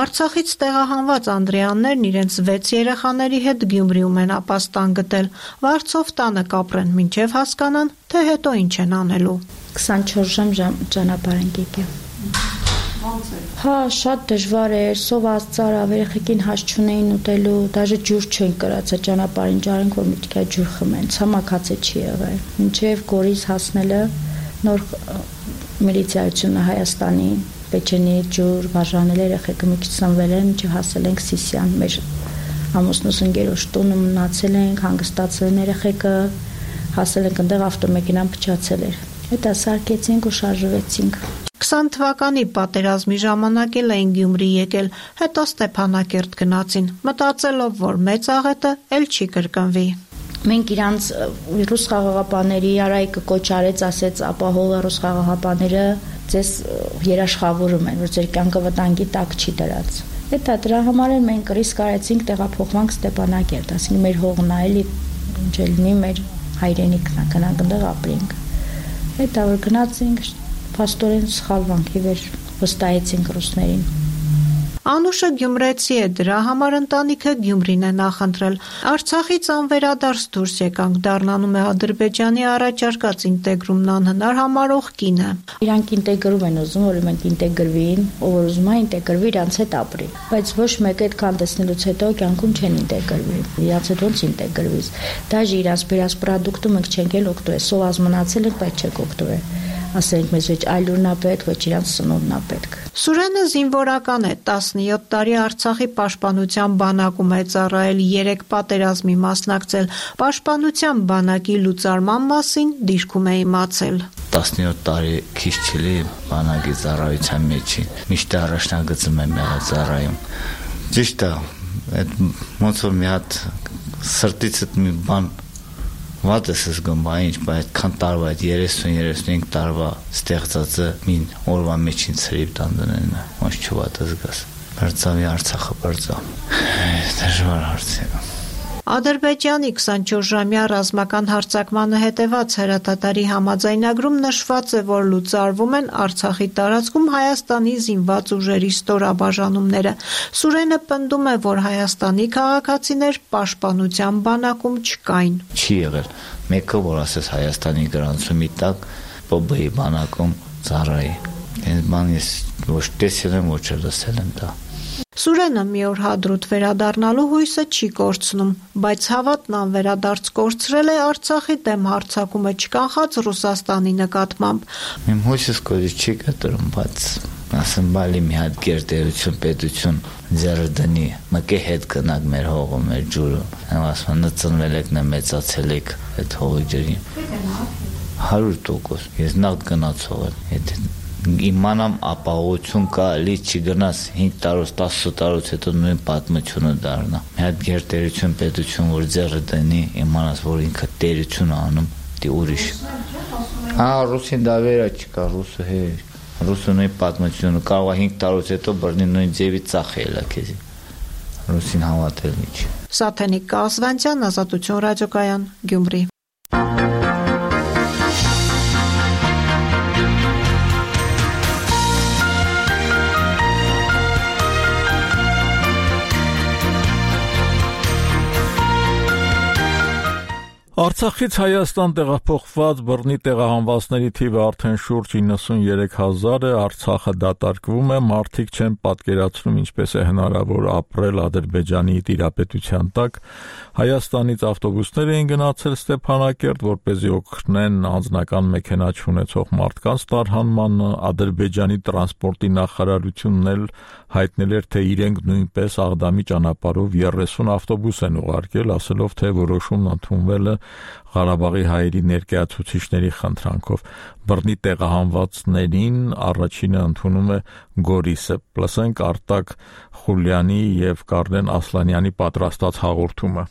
Արցախից տեղահանված անդրեաններն իրենց վեց երեխաների հետ Գյումրիում են ապաստան գտել։ Վարձով տանը կապրեն, մինչև հասկանան, թե հետո ինչ են անելու։ քսանչորս ժամ ճանապարհ ենք եկել։ Հա, շատ դժվար էր, սոված ծարավ, երեխեքին հաշ չունեին ուտելու, դաժե ջուր չեն կրած, ճանապարհին ջարենք, որ մի քիչ ջուր խմեն, ցամաքացե չի եղել։ Մինչև Գորիս հասնելը նոր միլիցիայությունը Հայաստանի, Պեչենի ջուր, բաժանել երեխեքը մի քիչ սնվել են, մինչև հասել ենք Սիսիան, մեր ամուսնուս ընկերոջ տունը մնացել ենք, հանգստացել են երեխեքը, հասել ենք այնտեղ ավտոմեքենան փչացել էր։ Հետո սարքեցինք ու շարժվեցինք։ քսան թվականի պատերազմի ժամանակ էլ էին Գյումրի եկել, հետո Ստեփանակերտ գնացին, մտածելով, որ մեծ աղետը էլ չի կրկնվի։ Մենք իրանց ռուս խաղաղապաների Արայիկը կոչ արեց, ասեց ապահովը ռուս խաղաղապաները ձեզ երաշխավորում են, որ ձեր կյանքը վտանգի տակ չի դրած։ Հետո դրա համար էլ մենք ռիսկ արեցինք տեղափոխվանք Ստեփանակերտ, ասենք մեր հողն է, էլի ինչ լինի մեր հայրենիքն է, գնանք այնտեղ ապրենք։ Հետո որ գնացինք Պաստորեն սխալվանք ի վեր վստահեցինք ռուսներին։ Անուշը գյումրեցի է, դրա համար ընտանիքը Գյումրին է նախընտրել։ Արցախից անվերադարձ դուրս եկանք, դառնանում է Ադրբեջանի առաջարկած ինտեգրումն անհնար համարող կինը։ Իրանք ինտեգրում են ուզում, որ մենք ինտեգրվին, ով որ ուզում է ինտեգրվի, իրանց հետ ապրի։ Բայց ոչ մեկ այդքան տեսնելուց հետո կյանքում չեն ինտեգրվի։ Իրանց հետ ոնց ինտեգրվիս։ Դաժե իրանց բերած պրոդուկտը մենք չենք էլ օգտվել, սոված մնացել ենք, բայց չենք օգտվել։ Ասենք մեզ ոչ այլ ուրնա պետք, ոչ իրանց սնունդն է պետք։ Սուրենը զինվորական է, տասնյոթ տարի Արցախի պաշտպանության բանակում է ծառայել, երեք պատերազմի մասնակցել, պաշտպանության բանակի լուծարման մասին դիրքում է իմացել։ տասնյոթ տարի քիչ չլի բանակի ծառայության մեջին, միշտ առաջնագծում եմ եղել ծառայում։ Ճիշտ է, այդ ոնց որ մի հատ սրտից մի բան Վատ ես զգում, ինչ, բայց քան տարվա այդ երեսուն երեսունհինգ տարվա ստեղծածը մին օրվա մեջին ցրիվ տանդնեն, ոչ չվատ զգաս։ Բարձավի Արցախը բարձավ։ Դժվար հարց է։ Ադրբեջանի քսանչորս-ժամյա ռազմական հարձակմանը հետևած հրատատարի համաձայնագրում նշված է, որ լուծարվում են Արցախի տարածքում Հայաստանի զինված ուժերի ստորաբաժանումները։ Սուրենը պնդում է, որ Հայաստանի քաղաքացիներ պաշտպանության բանակում չկային։ Չի եղել մեկը, որ ասես Հայաստանի գրանցումի տակ Պ B-ի բանակում ծառայի։ Այս բան ես ոչ տեսել եմ, ոչ լսել եմ դա։ Սուրենը մի օր Հադրութ վերադառնալու հույսը չի կորցնում, բայց հավատն անվերադարձ կորցրել է Արցախի դեմ հարձակումը չկանխած Ռուսաստանի նկատմամբ։ Իմ հույսս կորի չի կտրում, բայց ասեմ բալի մի հատ գերտերություն պետություն ձեռը դնի, մկե հետ գնաք մեր հողը, մեր ջուրը։ Եմ ասում, նծնվել եք, նե մեծացել եք այդ հողի ջրին։ հարյուր տոկոս, ես նախ գնացող եմ, եթե իմանամ ապահովություն կա, լի չգնաս հինգ տարուց, տասը տարուց հետո նույն պատմությունը դառնա։ Մի հատ գերտերություն պետություն, որ ձեռը դնի, իմանաս, որ ինքը տերություն անում, դի ուրիշ։ Հա, ռուսին դա վերա չկա, ռուսը հե, ռուսը նույն պատմությունը կարող է հինգ տարուց հետո բռնի նույն ձևի ծախելա քեզի։ Ռուսին հավատել ինչ։ Սաթենիկ Կաղզվանցյան, Ազատություն ռադիոկայան, Գյումրի։ Արցախից Հայաստան տեղափոխված բռնի տեղահանվածների թիվը արդեն շուրջ իննսուներեք հազար է, Արցախը դատարկվում է, մարդիկ չեն պատկերացնում ինչպես է հնարավոր ապրել Ադրբեջանի տիրապետության տակ, Հայաստանից ավտոբուսներ էին գնացել Ստեփանակերտ, որպեսզի օգնեն անձնական մեքենա չունեցող մարդկանց տարհանմանը, Ադրբեջանի տրանսպորտի նախարարությունն էլ հայտնել էր, թե իրենք նույնպես Աղդամի ճանապարհով երեսուն ավտոբուս են ուղարկել, ասելով, թե որոշումն ընդունվել է Ղարաբաղի հայերի ներկայացուցիչների խնդրանքով բռնի տեղահանվածներին առաջինը ընդունում է Գորիսը։ Լսենք Արտակ Խուլյանի եւ Կարլեն Ասլանյանի պատրաստած հաղորդումը։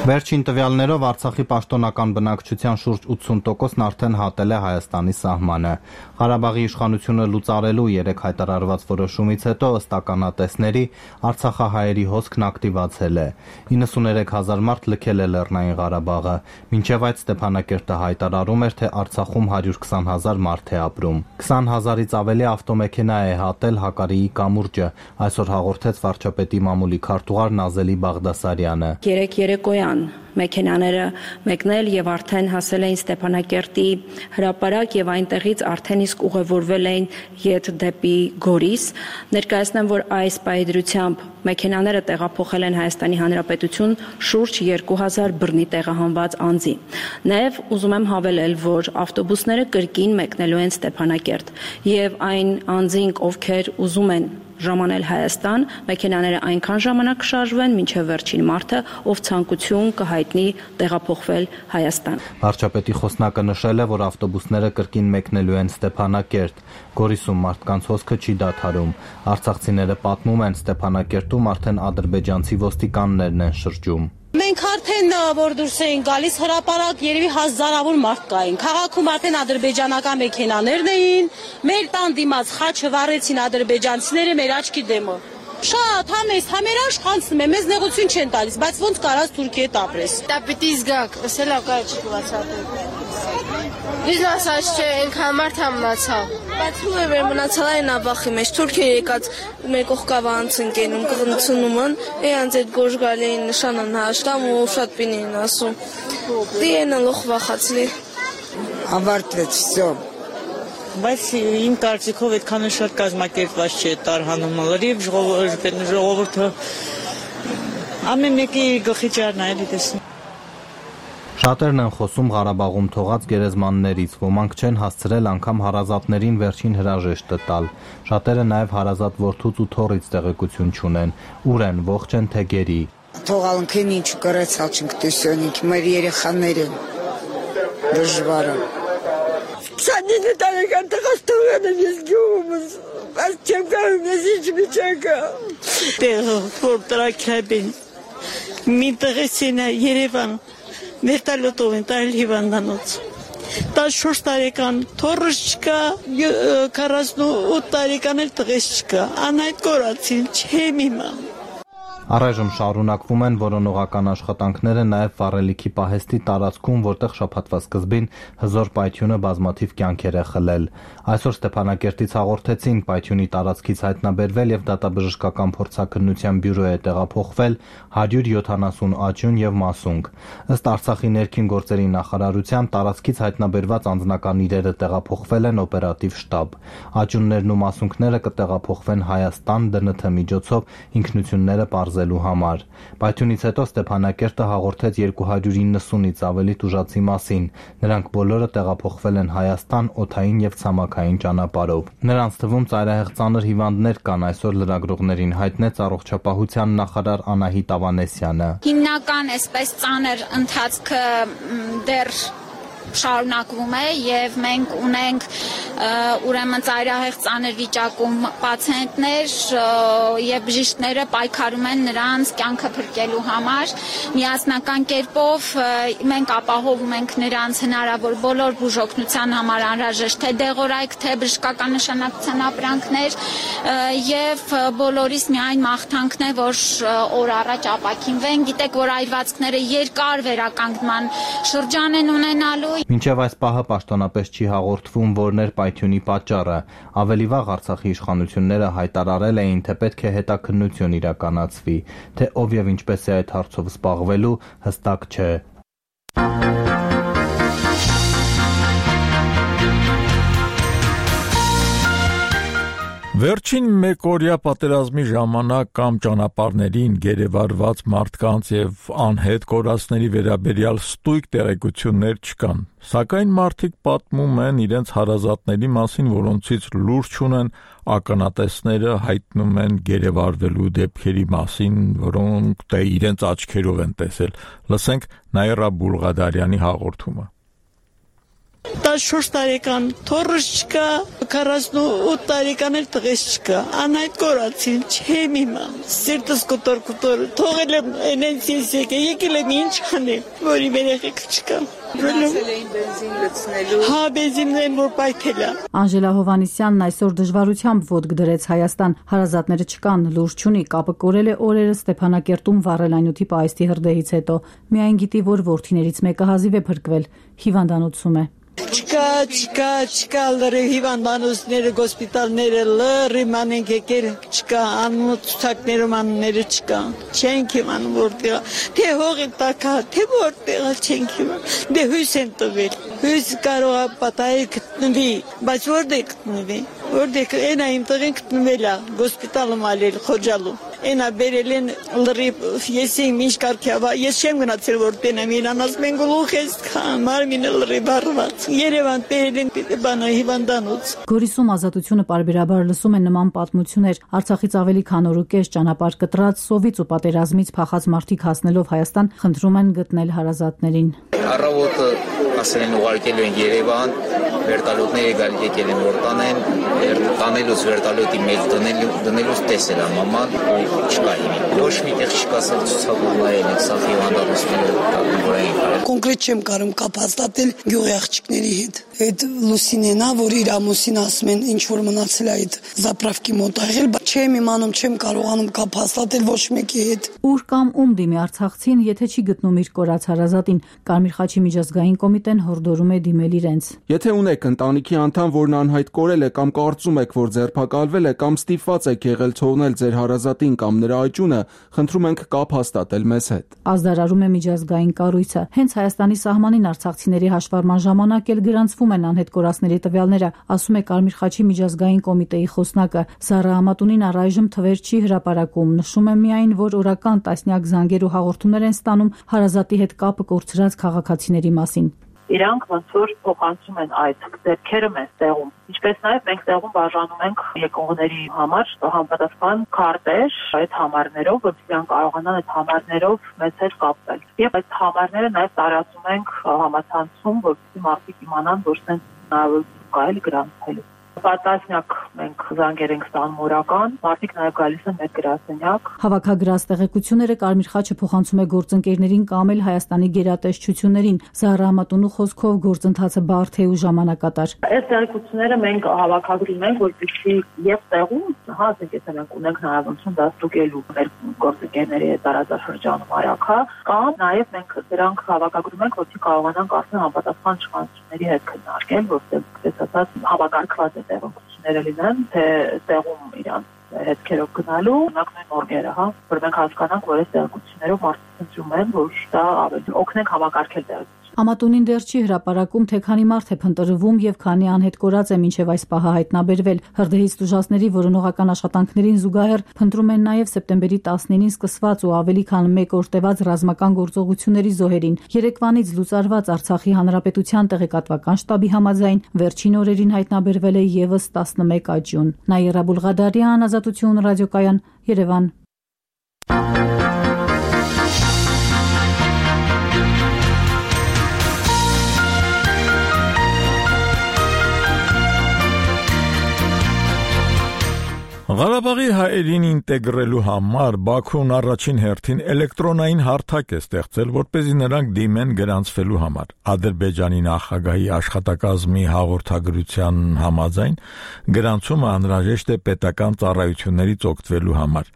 Վերջին տվյալներով Արցախի պաշտոնական բնակչության շուրջ ութսուն տոկոսն արդեն հատել է Հայաստանի սահմանը։ Ղարաբաղի իշխանությունը լուծարելու երեք հայտարարված որոշումից հետո ըստ ականատեսների արցախահայերի հոսքն ակտիվացել է։ իննսուներեք հազար մարդ լքել է Լեռնային Ղարաբաղը, մինչև այդ Ստեփանակերտը հայտարարում էր, թե Արցախում հարյուր քսան հազար մարդ է ապրում։ քսան հազարից ավելի ավտոմեքենա է հատել Հակարիի կամուրջը, այսօր հաղորդեց վարչապետի մամուլի քարտուղար Նազելի Բաղդասարյանը։ Երեք երեկոյան մեքենաները մեկնել եւ արդեն հասել էին Ստեփանակերտի հրապարակ եւ այնտեղից արդեն իսկ ուղևորվել էին ետ դեպի Գորիս։ Ներկայացնեմ, որ այս պայդրությամբ մեքենաները տեղափոխել են Հայաստանի Հանրապետություն շուրջ երկու հազար բռնի տեղահանված անձի։ Նաեւ ուզում եմ հավելել, որ ավտոբուսները կրկին մեկնելու են Ստեփանակերտ եւ այն անձինք, ովքեր ուզում են ժամանել Հայաստան, մեքենաները այնքան ժամանակ կշարժվեն, մինչև վերջին մարդը, ով ցանկություն կհայտնի տեղափոխվել Հայաստան։ Վարչապետի խոսնակը նշել է, որ ավտոբուսները կրկին մեկնելու են Ստեփանակերտ։ Գորիսում մարդկանց հոսքը չի դադարում։ Արցախցիները պատմում են, Ստեփանակերտում արդեն ադրբեջանցի ոստիկաններն են շրջում։ Մենք արդեն որ դուրս էին գալիս հրապարակ երևի հազարավոր մարդ կային։ Քաղաքում արդեն ադրբեջանական մեքենաներն էին, մեր տան դիմաց խաչը վառեցին ադրբեջանցիները մեր աչքի դեմը։ Շատ համես, համերաշ խանցնում է, մեզ նեղություն չեն տալիս, բայց ոնց կարաս Թուրքիա տապրես։ Դա պիտի զգաք, ասել ակա չկվացավ։ Իսկ ասած չէ, այնքան մարդ համնացավ։ Բայց ու է մեր մնացալ այն աբախի մեջ Թուրքիա եկած մեր կողքավա անցնկենում կղնցնում են, այնց այդ գորժ գալեին նշանան հաշտամ ու շատ պինին ասում։ Դիենը լոխ վախացլի։ Ավարտվեց, всё։ Բայց իմ կարծիքով այդքան շատ կազմակերպված չէ տարհանումը լրիվ ժողովուրդը ամեն մեկի գլխի ճարն այլի տեսնում։ Շատերն են խոսում Ղարաբաղում թողած գերեզմաններից, ոմանք չեն հասցրել անգամ հարազատներին վերջին հրաժեշտը տալ։ Շատերը նաև հարազատ որդուց ու թոռից տեղեկություն չունեն, ուր են, ողջ են թե գերի։ Թողալնքին ինչ կրեցալ չենք տեսյոնիք, մեր երեխաները դժվար է։ Քսանինը տարեկան տղաս թողել եմ ես գյուղումս, բայց չեմ կարում ես ինչ միջակա։ Տեղը որ տրակրաբին, մի տղեսին է Երևան, Վերտալոտով են տարել հիվանդանոց։ տասնչորս տարեկան թոռս չկա, քառասունութ տարեկան էլ տղես չկա, անհայտ կորացին, չեմ իմանում։ Առայժմ շարունակվում են որոնողական աշխատանքները նաև վառելիքի պահեստի տարածքում, որտեղ շաբաթվա սկզբին հզոր պայթյունը բազմաթիվ կյանքեր է խլել։ Այսօր Ստեփանակերտից հաղորդեցին, պայթյունի տարածքից հայտնաբերվել եւ դատաբժշկական փորձաքննության բյուրո է տեղափոխվել հարյուր յոթանասուն աճյուն եւ մասունք։ Ըստ Արցախի ներքին գործերի նախարարության տարածքից հայտնաբերված անձնական իրերը տեղափոխվել են օպերատիվ շտաբ։ Աճյուններն ու մասունքները կտեղափոխվեն Հայաստան դե են թե միջոցով ինքնությունները պարզելու համար։ Պայթյունից հետո Ստեփանակերտը հաղորդեց երկու հարյուր իննսունից ավելի տուժածի մասին։ Նրանք բոլորը տեղափոխվել են Հայաստան օդային եւ ցամաքային ճանապարհով։ Նրանց թվում ծայրահեղ ծանր հիվանդներ կան, այսօր լրագրողներին հայտնեց առողջապահության նախարար Անահիտ Ավանեսյանը։ Հիմնական այսպես ծանր ընթացքը դեռ շարունակվում է եւ մենք ունենք ուրեմն ծայրահեղ ծանր վիճակում պացիենտներ եւ բժիշկները պայքարում են նրանց կյանքը փրկելու համար միասնական կերպով մենք ապահովում ենք նրանց հնարավոր բոլոր բուժօգնության համար անհրաժեշտ թե դեղորայք թե բժշկական նշանակության ապրանքներ եւ բոլորիս միայն մաղթանքն է որ օր առաջ ապակինվեն գիտեք որ այրվածքները երկար վերականգնման շրջան են ունենալու Մինչև այս պահը պաշտոնապես չի հաղորդվում, որն էր պայթյունի պատճառը։ Ավելի վաղ Արցախի իշխանությունները հայտարարել էին, թե պետք է հետաքննություն իրականացվի, թե ով եւ ինչպես է այդ հարցով զբաղվելու, հստակ չէ։ Վերջին մեկօրյա պատերազմի ժամանակ կամ ճանապարհներին գերեվարված մարդկանց եւ անհետ կորածների վերաբերյալ ստույգ տեղեկություններ չկան, սակայն մարդիկ պատմում են իրենց հարազատների մասին, որոնցից լուր չունեն, ականատեսները հայտնում են գերեվարվելու դեպքերի մասին, որոնք դե իրենց աչքերով են տեսել։ Լսենք Նաիրա Բուլղադարյանի հաղորդումը։ տասնչորս տարեկան թորս չկա, քառասունութ տարեկան էլ տղես չկա, անհայտ կորացին, չեմ իմամ, սիրտս կոտոր կոտոր, թողել եմ ենենց ես եկել, եկել եմ ինչ անեմ, որ իմ երեխեք չկա։ Գնացել էին բենզին լցնելու։ Հա, բենզինն որ պայթել է։ Անժելա Հովանիսյանն այսօր դժվարությամբ ոտք դրեց Հայաստան, հարազատները չկան, լուր չունի, կապը կորել է օրերը Ստեփանակերտում վառել այնուտի պայստի հրդեհից հետո։ Միայն գիտի, որ որդիներից մեկը հազիվ է փրկվել, հիվանդանոցում է։ Չկա, չկա, չկա լրի հիվանդանոցները, գոսպիտալները լրի մանենք եկեր, չկա, անմոտ ցուցակներում անունները չկա, չենք իմանում որտեղ, թե հողի տակա, թե որտեղ չենք իմանում, դե հույս են տվել, հույս կարող է պատահել գտնվի, բայց որտեղ գտնվի, որտեղ այնա իմ տղեն գտնվել է, գոսպիտալում ալել, խոջալու, այնա բերել են լրի, ես իմ ինչ կարգի, ես չեմ գնացել որ տենեմ, իրան ասում են գլուխ ես կան, մարմինը լրի բարված, Երևան բերել են բանա հիվանդանոց։ Գորիսում Ազատությունը պարբերաբար լսում է նման պատմություններ, Արցախից ավելի քան օր ու կես ճանապարհ կտրած, սովից ու պատերազմից փախած մարդիկ հասնելով Հայաստան, խնդրում են գտնել հարազատներին։ Առավոտը ասել են ուղարկել են Երևան, վերտալյոտները գալ եկել են որ տանեն, տանելուց վերտալյոտի մեջ դնելուց տեսել է մաման, չկա հիմի։ Ոչ մի տեղ չկա սա ցուցակումային է, սա հիվանդանոցները որ էին։ Կոնկրետ չեմ կարող կապ հաստատել գյուղի աղջիկների հետ։ Այդ Լուսինենա, որ իր ամուսին ասում են ինչ որ մնացել է այդ զապրավկի մոտ աղել, բայց չեմ իմանում, չեմ կարողանում կապ հաստատել ոչ մեկի հետ։ Ուր կամ ում դիմի արցախցին, եթե չի գտնում իր կորած հարազատին, Կարմիր խաչի միջազգային կոմիտեն հորդորում է դիմել իրենց։ Եթե ունեք ընտանիքի անդամ, որն անհայտ կորել է կամ կարծում եք, որ ձերբակալվել է կամ ստիպված եք եղել թողնել ձեր հարազատին կամ նրա աճյունը, խնդրում ենք կապ հաստատել մեզ հետ։ Ազդարարում է միջազգային կառույցը։ Հենց Հայաստանի սահմանին արցախցիների հաշվառման ժամանակ էլ գրանցվում են անհետ կորածների տվյալները, ասում է Կարմիր խաչի միջազգային կոմիտեի խոսնակը։ Զարա Ամատունին առայժմ թվեր չի հրապարակում, նշում է միայն, որ օրական տասնյակ զանգեր ու հաղորդումներ են ստանում հարազատի հետ կապը կորցրած քաղաքացիների մասին։ Իրանք ոնց որ փոխանցում են այդ դեպքերը մեզ տեղում։ Ինչպես նաև մենք տեղում բաժանում ենք եկողների համար համապատասխան քարտեր այդ համարներով, որպեսզի իրենք կարողանան այդ համարներով մեզ հետ կապվել։ Եվ այդ համարները նաև տարածում ենք համացանցում, որպեսզի մարդիկ իմանան, որ սենց հնարավորություն կա էլ գրանցելու։ Պատասնյակ մենք զանգեր ենք ստանում օրական, մարդիկ նաև գալիս են մեր գրասենյակ։ Հավաքագրած տեղեկությունները Կարմիր խաչը փոխանցում է գործընկերներին կամ էլ Հայաստանի գերատեսչություններին։ Զարա Ամատունու խոսքով գործընթացը բարդ է ու ժամանակատար։ Այս տեղեկությունները մենք հավաքագրում ենք, որպեսզի եւ տեղում, հա, ասենք եթե մենք ունենք հնարավորություն դաստուկելու մեր գործընկերների հետ տարածաշրջանում արագա, կամ նաև մենք դրանք հավաքագրում ենք, որպեսզի կարողանանք արդեն համապատասխան իշխանությունների հետ քննարկել, որտեղ ասած հավաքագրված է տեղեկությունները լինեն, թե տեղում իրանց հետքերով գնալու, օրինակ նույն օրգերը, հա, որ մենք հասկանանք, որ այս տեղեկություններով մարդիկ ընտրում են, որ դա ավելի օգնենք հավաքարկել տեղեկությունները։ Ամատունին դեռ չի հրապարակում, թե քանի մարդ է փնտրվում եւ քանի անհետ կորած է մինչեւ այս պահը հայտնաբերվել։ Հրդեհից տուժածների որոնողական աշխատանքներին զուգահեռ փնտրում են նաեւ սեպտեմբերի տասնինին սկսված ու ավելի քան մեկ օր տևած ռազմական գործողությունների զոհերին։ Երեկվանից լուծարված Արցախի հանրապետության տեղեկատվական շտաբի համաձայն վերջին օրերին հայտնաբերվել է եւս տասնմեկ աճյուն։ Նաիրա Բուլղադարյան, Ազատություն ռադիոկայան, Երևան։ Ղարաբաղի հայերին ինտեգրելու համար Բաքուն առաջին հերթին էլեկտրոնային հարթակ է ստեղծել, որպեսզի նրանք դիմեն գրանցվելու համար։ Ադրբեջանի նախագահի աշխատակազմի հաղորդագրության համաձայն գրանցումը անհրաժեշտ է պետական ծառայություններից օգտվելու համար։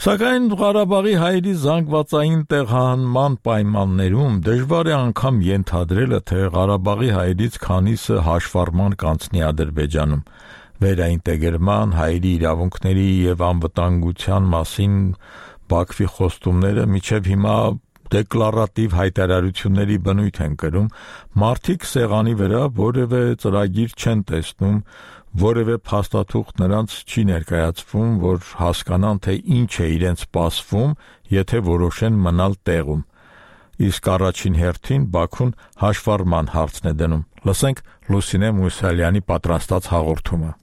Սակայն Ղարաբաղի հայերի զանգվածային տեղահանման պայմաններում դժվար է անգամ ենթադրելը, թե Ղարաբաղի հայերից քանիսը հաշվառման կանցնի Ադրբեջանում։ Վերաինտեգրման, հայերի իրավունքների եւ անվտանգության մասին Բաքվի խոստումները մինչեւ հիմա դեկլարատիվ հայտարարությունների բնույթ են կրում, մարդիկ սեղանի վրա որևէ ծրագիր չեն տեսնում, Որևէ փաստաթուղթ նրանց չի ներկայացվում, որ հասկանան, թե ինչ է իրենց սպասվում, եթե որոշեն մնալ տեղում։ Իսկ առաջին հերթին Բաքուն հաշվառման հարցն է դնում։ Լսենք Լուսինե Մուսալյանի պատրաստած հաղորդումը։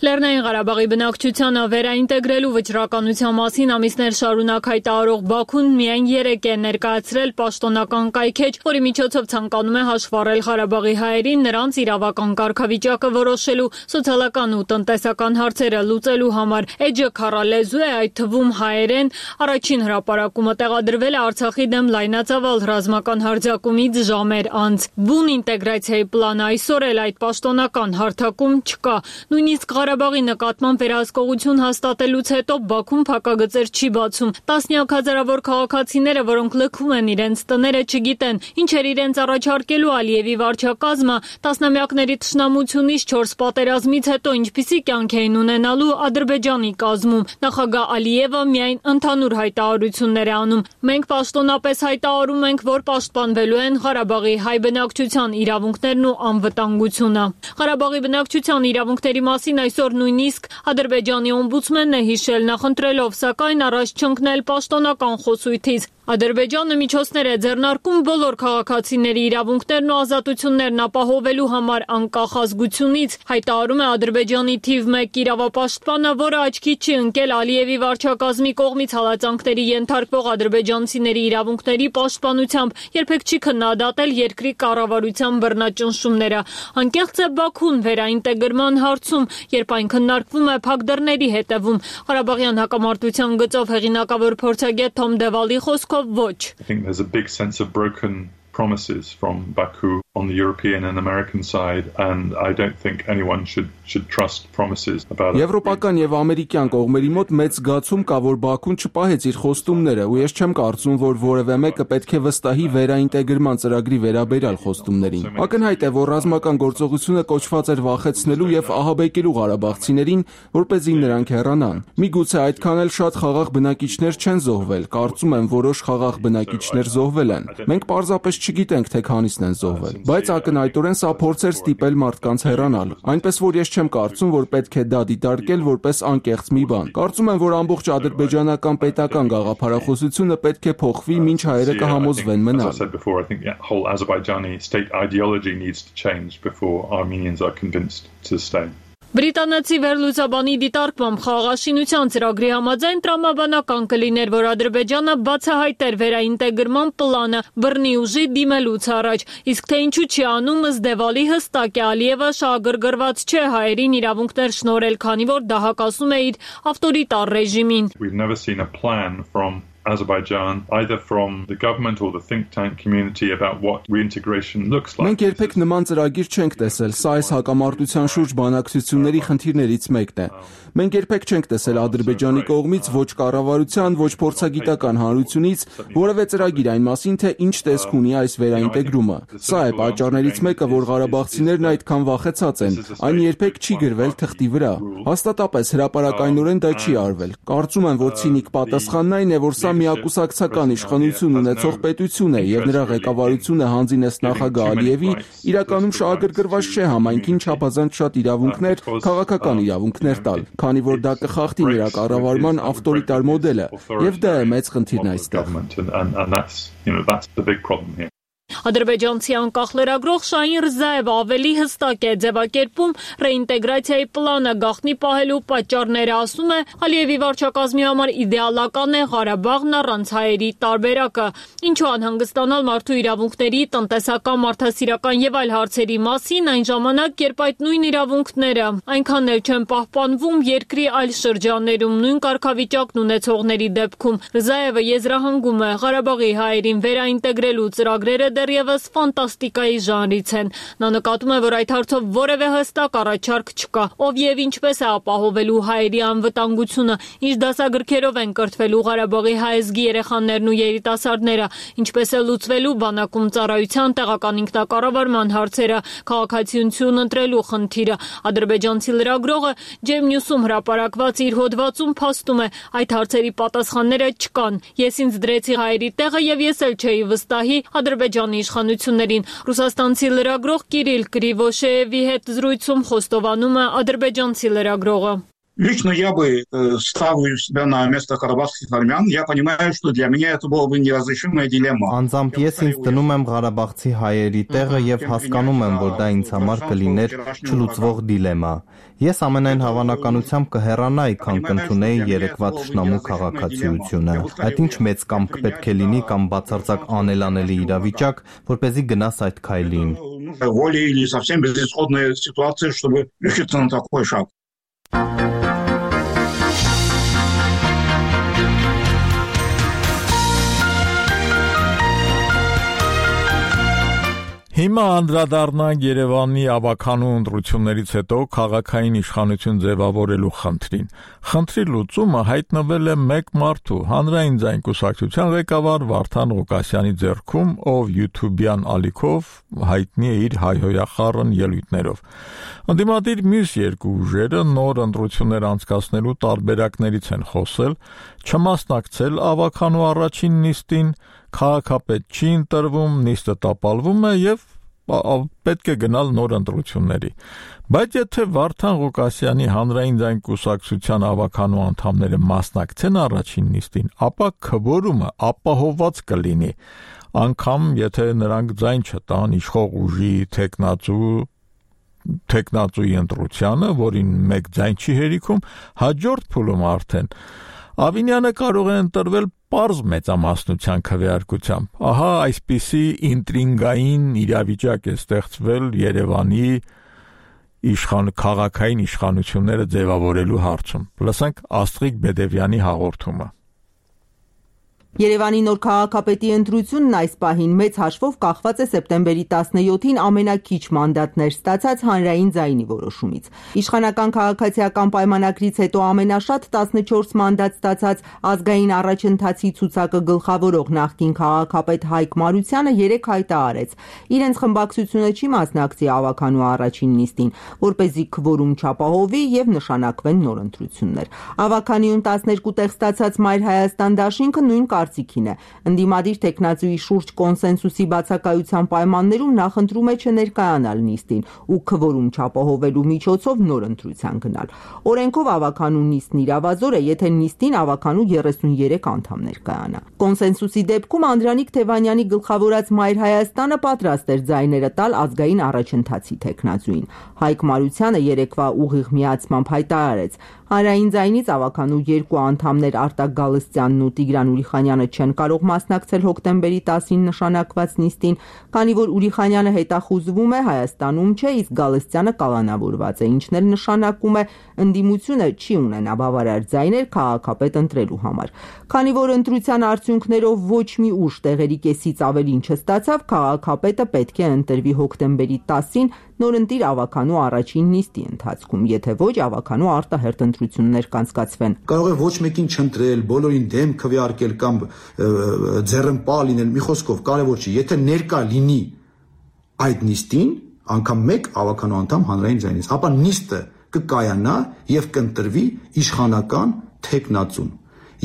Լեռնային Ղարաբաղի բնակչությանը վերաինտեգրելու վճռականության մասին ամիսներ շարունակ հայտարարող Բաքուն միայն երեկ է ներկայացրել պաշտոնական կայքեջ, որի միջոցով ցանկանում է հաշվառել Ղարաբաղի հայերին նրանց իրավական կարգավիճակը որոշելու, սոցիալական ու տնտեսական հարցերը լուծելու համար։ Էջը քառալեզու է, այդ թվում հայերեն։ Առաջին հրապարակումը տեղադրվել է Արցախի դեմ լայնածավալ ռազմական հարձակումից ժամեր անց։ Բուն ինտեգրացիայի պլանը այսօր էլ այդ պաշտոնական հարթակում չկա։ Նույնիսկ Ղարաբաղի նկատմամբ վերահսկողություն հաստատելուց հետո Բաքուն փակագծեր չի բացում։ Տասնյակ հազարավոր քաղաքացիները, որոնք լքում են իրենց տները, չգիտեն ինչ էր իրենց առաջարկելու Ալիևի վարչակազմը, տասնամյակների թշնամությունից, չորս պատերազմից հետո ինչպիսի կյանք էին ունենալու Ադրբեջանի կազմում։ Նախագահ Ալիևը միայն ընդհանուր հայտարարություններ է անում։ Մենք պաշտոնապես հայտարարում ենք, որ պաշտպանվելու են Ղարաբաղի հայ բնակչության իրավունքներն ու անվտանգությունը։ Ղարաբաղի բնակչության իրավունքների մասին այս Այսօր նույնիսկ Ադրբեջանի օմբուդսմենն է հիշել, նախընտրելով սակայն առաջ չընկնել պաշտոնական խոսույթից։ Ադրբեջանը միջոցներ է ձեռնարկում բոլոր քաղաքացիների իրավունքներն ու ազատություններն ապահովելու համար անկախ ազգությունից, հայտարարում է Ադրբեջանի թիվ մեկ իրավապաշտպանը, որը աչքի չի ընկել Ալիևի վարչակազմի կողմից հալածանքների ենթարկվող ադրբեջանցիների իրավունքների պաշտպանությամբ, երբեք չի քննադատել երկրի կառավարության բռնաճնշումները։ Անկեղծ է Բաքուն վերաինտեգրման հարցում, երբ այն քննարկվում է փակ դռների հետևում։ Ղարաբաղյան հակամարտության գծով հեղինակավոր փորձագետ Թոմ Դևալի խոսքով ոչ։ I think there's a big sense of broken promises from Baku on the European and American side, and I don't think anyone should should trust promises about it. Եվրոպական եւ ամերիկյան կողմերի մոտ մեծ զգացում կա, որ Բաքուն չպահեց իր խոստումները, ու ես չեմ կարծում, որ որևէ մեկը պետք է վստահի վերաինտեգրման ծրագրի վերաբերյալ խոստումներին։ Ակնհայտ է, որ ռազմական գործողությունը կոչված էր վախեցնելու եւ ահաբեկելու ղարաբաղցիներին, որպեսզի նրանք հեռանան։ Միգուցե այդքան էլ շատ խաղաղ բնակիչներ չեն զոհվել, կարծում եմ որոշ խաղաղ բնակիչներ զոհվել են։ Մենք պարզապես չգիտենք, թե քանիսն են զոհվել, բայց ակնհայտորեն սա փորձ էր ստիպել մարդկանց հեռանալ։ Այնպես որ ես չեմ կարծում, որ պետք է դա դիտարկել որպես անկեղծ մի բան։ Կարծում եմ, որ ամբողջ ադրբեջանական պետական գաղափարախոսությունը պետք է փոխվի, մինչ հայերը կհամոզվեն մնալ։ Բրիտանացի վերլուծաբանի դիտարկմամբ խաղաղաշինության ծրագրի համաձայն տրամաբանական կլիներ, որ Ադրբեջանը բացահայտեր վերաինտեգրման պլանը բռնի ուժի դիմելուց առաջ, իսկ թե ինչու չի անում, ըստ Դևալի հստակ է, Ալիևը շահագրգռված չէ հայերին իրավունքներ շնորհել, քանի որ դա հակասում է իր ավտորիտար ռեժիմին։ Azerbaijan, either from the government or the think tank community about what reintegration looks like. Մենք երբեք նման ծրագիր չենք տեսել, սա այս հակամարտության շուրջ բանակցությունների խնդիրներից մեկն է։ Մենք երբեք չենք տեսել Ադրբեջանի կողմից ոչ կառավարության, ոչ փորձագիտական հանրությունից որևէ ծրագիր այն մասին, թե ինչ տեսք ունի այս վերաինտեգրումը։ Սա է պատճառներից մեկը, որ ղարաբաղցիներն այդքան վախեցած են։ Այն երբեք չի գրվել թղթի վրա։ Հաստատապես հրապարակայնորեն դա չի արվել։ Կարծում եմ, որ ցինիկ պատասխանն այն է, որ սա միակուսակցական իշխանություն ունեցող պետություն է եւ նրա ղեկավարությունը հանձինես նախագահ Ալիևի իրականում շահագրգռված չէ համայնքին չափազանց շատ իրավունքներ, քաղաքական իրավունքներ տալ, քանի որ դա կխախտի նրա կառավարման ավտորիտար մոդելը եւ դա է մեծ խնդիրն այստեղ։ Ադրբեջանցի անկախ լրագրող Շահին Ռզաևը ավելի հստակ է ձևակերպում ռեինտեգրացիայի պլանը գաղտնի պահելու պատճառները, ասում է, Ալիևի վարչակազմի համար իդեալական է Ղարաբաղն առանց հայերի տարբերակը, ինչու անհանգստանալ մարդու իրավունքների, տնտեսական, մարդասիրական եւ այլ հարցերի մասին այն ժամանակ, երբ այդ նույն իրավունքները այնքան էլ չեն պահպանվում երկրի այլ շրջաններում նույն կարգավիճակն ունեցողների դեպքում։ Ռզաևը եզրահանգում է Ղարաբաղի հայերին վերաինտեգրելու ծրագրերը դեռևս ֆանտաստիկայի ժանրից են։ Նա նկատում է, որ այդ հարցով որևէ հստակ առաջարկ չկա, ով եւ ինչպես է ապահովելու հայերի անվտանգությունը, ինչ դասագրքերով են կրթվելու Ղարաբաղի հայազգի երեխաներն ու երիտասարդները, ինչպես է լուծվելու բանակում ծառայության, տեղական ինքնակառավարման հարցերը, քաղաքացիություն ընտրելու խնդիրը։ Ադրբեջանցի լրագրողը Ջեմ Նյուսում հրապարակված իր հոդվածում փաստում է, այդ հարցերի պատասխանները չկան։ Ես ինձ դրեցի հայերի տեղը եւ ես էլ չէի վստահի Ադրբեջան Երևանի իշխանություններին։ Ռուսաստանցի լրագրող Կիրիլ Կրիվոշեևի հետ զրույցում խոստովանում է ադրբեջանցի լրագրողը։ Лично я бы ставил себя на место карабахских армян. Я понимаю, что для меня это была бы неразрешимая дилемма. Անձամբ ես ինձ դնում եմ Ղարաբաղցի հայերի տեղը եւ հասկանում եմ, որ դա ինձ համար կլիներ չլուծվող դիլեմա։ Ես ամենայն հավանականությամբ կհեռանայի, քան կընդունեի երեկվա թշնամու քաղաքացիությունը։ Այդ ինչ մեծ կամք պետք է լինի կամ բացարձակ անելանելի իրավիճակ, որպեսզի գնաս այդ քայլին։ Воля или совсем безысходная ситуация, чтобы решиться на такой шаг. Հիմա անդրադառնանք Երևանի ավականու ընտրություններից հետո քաղաքային իշխանություն ձևավորելու խնդրին։ Խնդրի լուծումը հայտնվել է մեկ մարդու, հանրային ձայն կուսակցության ղեկավար Վարդան Ղուկասյանի ձեռքում, ով YouTube-յան ալիքով հայտնի է իր հայհոյախառն ելույթներով։ Ընդդիմադիր մյուս երկու ուժերը նոր ընտրություններ անցկացնելու տարբերակներից են խոսել, չմասնակցել ավականու առաջին նիստին, քաղաքապետ չի ընտրվում, նիստը տապալվում է եւ պետք է գնալ նոր ընտրությունների։ Բայց եթե Վարդան Ղուկասյանի հանրային ձայն կուսակցության ավականու անդամները մասնակցեն առաջին նիստին, ապա քվորումը ապահովված կլինի, անգամ եթե նրանք ձայն չտան իշխող ուժի թեկնածու թեկնածուի ընտրությանը, որին մեկ ձայն չի հերիքում, հաջորդ փուլում արդեն Ավինյանը կարող է ընտրվել պարզ մեծամասնության քվեարկությամբ։ Ահա այսպիսի ինտրիգային իրավիճակ է ստեղծվել Երևանի իշխան քաղաքային իշխանությունները ձևավորելու հարցում։ Լսենք Աստղիկ Բեդևյանի հաղորդումը։ Երևանի նոր քաղաքապետի ընտրությունն այս պահին մեծ հաշվով կախված է սեպտեմբերի տասնյոթին ամենակիչ մանդատներ ստացած հանրային ձայնի որոշումից։ Իշխանական քաղաքացիական պայմանագրից հետո ամենաշատ տասնչորս մանդատ ստացած ազգային առաջընթացի ցուցակը գլխավորող նախկին քաղաքապետ Հայկ Մարությանը երեկ հայտարարեց իրենց խմբակցությունը չի մասնակցի ավականու առաջին նիստին, որպեսզի քվորում չապահովի եւ նշանակվեն նոր ընտրություններ։ Ավականիում տասներկու տեղ ստացած Մայր Հայաստան դաշինքը նույն կարծիքին է։ Ընդդիմադիր տեխնացուի շուրջ կոնսենսուսի բացակայության պայմաններում նախընտրում է չներկայանալ նիստին ու քվորում չապահովելու միջոցով նոր ընտրության գնալ։ Օրենքով ավականու նիստն իրավազոր է, եթե նիստին ավականու երեսունյերեք անդամ ներկայանա։ Կոնսենսուսի դեպքում Անդրանիկ Թևանյանի գլխավորած Մայր Հայաստանը պատրաստ էր ձայները տալ ազգային առաջընթացի տեխնացուին։ Հայկ Մարությանը երեկվա ուղիղ միացմամբ հայտարարեց. Հանրային ձայնից ավականու երկու անդամներ Արտակ Գալստյանն ու Տիգրան Ուրիխանյանը չեն կարող մասնակցել հոկտեմբերի տասին նշանակված նիստին, քանի որ Ուրիխանյանը հետախուզվում է, Հայաստանում չէ, իսկ Գալստյանը կալանավորված է, ինչն էլ նշանակում է ընդդիմությունը չի ունենա բավարար ձայներ քաղաքապետ ընտրելու համար։ Քանի որ ընտրության արդյունքներով ոչ մի ուժ տեղերի կեսից ավելին չստացավ, քաղաքապետը պետք է ընտրվի հոկտեմբերի տասին նորընտիր ավականու առաջին նիստի ընթացքում, եթե ոչ ավականու արտահերթ ընտրություններ կանցկացվեն։ Կարող է ոչ մեկին չընտրել, բոլորին դեմ քվեարկել կամ ձեռնպա լինել, մի խոսքով կարևոր չի, եթե ներկա լինի այդ նիստին անգամ մեկ ավականու անդամ հանրային ձայնից, ապա նիստը կկայանա եւ կընտրվի իշխանական թեկնածուն։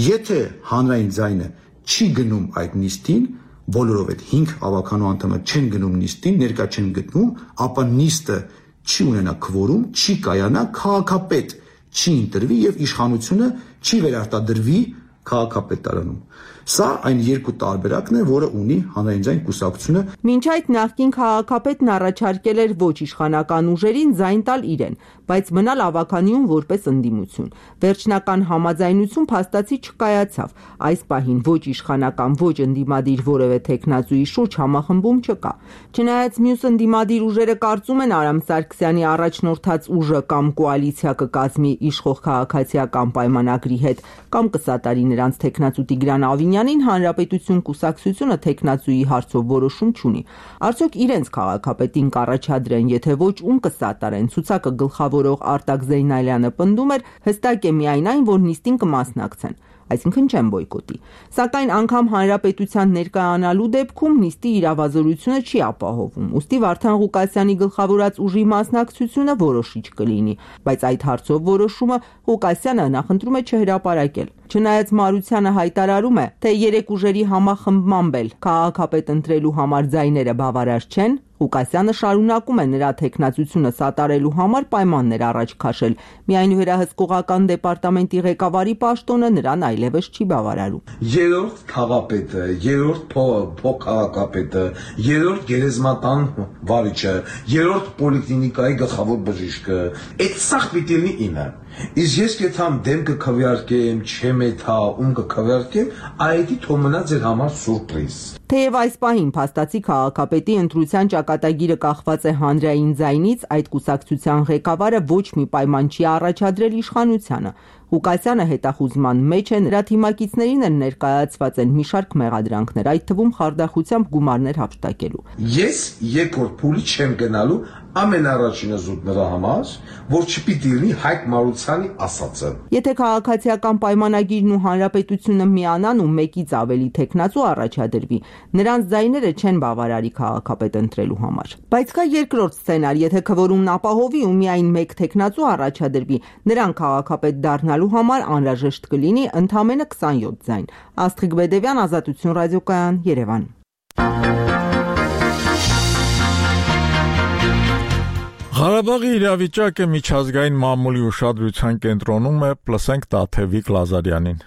Եթե հանրային ձայնը չի գնում այդ նիստին, բոլորով այդ հինգ ավականու անդամը չեն գնում նիստին, ներկա չեն գտնում, ապա նիստը չի ունենա քվորում, չի կայանա, քաղաքապետ չի ընտրվի եւ իշխանությունը չի վերարտադրվի քաղաքապետարանում։ Սա այն երկու տարբերակն է, որը ունի հանրային ձայն կուսակցությունը։ Մինչ այդ նախկին քաղաքապետն առաջարկել էր ոչ իշխանական ուժերին ձայն տալ իրեն, բայց մնալ ավականիում որպես ընդդիմություն։ Վերջնական համաձայնություն փաստացի չկայացավ։ Այս պահին ոչ իշխանական, ոչ ընդդիմադիր որևէ տեխնացուի շուրջ համախմբում չկա։ Չնայած մյուս ընդդիմադիր ուժերը կարծում են Արամ Սարգսյանի առաջնորդած ուժը կամ կոալիցիա կկազմի իշխող քաղաքացիական պայմանագրի հետ, կամ կսատարի նրանց տեխնացու Տիգրան Ավինյանին, Հանրապետություն կուսակցությունը տեխնացուի հարցով որոշում չունի։ Արդյոք իրենց քաղաքապետին կառաջադրեն, եթե ոչ ում կսատարեն։ Ցուցակը գլխավորող Արտակ Զեյնալյանը պնդում էր, հստակ է միայն այն, որ նիստին կմասնակցեն։ այսինքն չեն բոյկոտի։ Սակայն անգամ հանրապետության ներկայանալու դեպքում նիստի իրավազորությունը չի ապահովում, ուստի Վարդան Ղուկասյանի գլխավորած ուժի մասնակցությունը որոշիչ կլինի, բայց այդ հարցով որոշումը Ղուկասյանը նախընտրում է չհրապարակել։ Չնայած Մարությանը հայտարարում է, թե երեք ուժերի համախմբմամբ էլ քաղաքապետ ընտրելու համար ձայները բավարար չեն, Ղուկասյանը շարունակում է նրա թեկնածությունը սատարելու համար պայմաններ առաջ քաշել, միայն վերահսկողական դեպարտամենտի ղեկավարի պաշտոնը նրան այլևս չի բավարարում։ Երրորդ քաղաքապետը, երրորդ փոխքաղաքապետը, երրորդ գերեզմատան վարիչը, երրորդ պոլիկլինիկայի գլխավոր բժիշկը, այդ սաղ պիտի լինի ինը։ Իսկ ես կեթամ դեմ կքվեարկեմ, չեմ էթա, ում կքվեարկեմ, այդի թող մնա ձեր համար սուրպրիզ։ Թեև այս պահին փաստացի քաղաքապետի ընտրության ճակատագիրը կախված է հանրային ձայնից, այդ կուսակցության ղեկավարը ոչ մի պայման չի առաջադրել իշխանությանը։ Ղուկասյանը հետախուզման մեջ է, նրա թիմակիցներին են ներկայացված են մի շարք մեղադրանքներ, այդ թվում խարդախությամբ գումարներ հափշտակելու։ Ես երկրորդ փուլի չեմ գնալու ամենառաջինը զուտ նրա համար, որ չպիտի լինի Հայկ Մարությանի ասածը։ Եթե քաղաքացիական պայմանագիրն ու հանրապետությունը միանան ու մեկից ավելի թեկնածու առաջադրվի, նրանց ձայները չեն բավարարի քաղաքապետ ընտրելու համար։ Բայց կա երկրորդ սցենար, եթե քվորումն ապահովի ու միայն մեկ թեկնածու առաջադրվի, նրան քաղաքապետ դառնալու համար անհրաժեշտ կլինի ընդամենը քսանյոթ ձայն։ Աստղիկ Բեդևյան, Ազատություն ռադիոկայան, Երևան։ Ղարաբաղի իրավիճակը միջազգային մամուլի ուշադրության կենտրոնում է, լսենք Տաթևիկ Լազարյանին։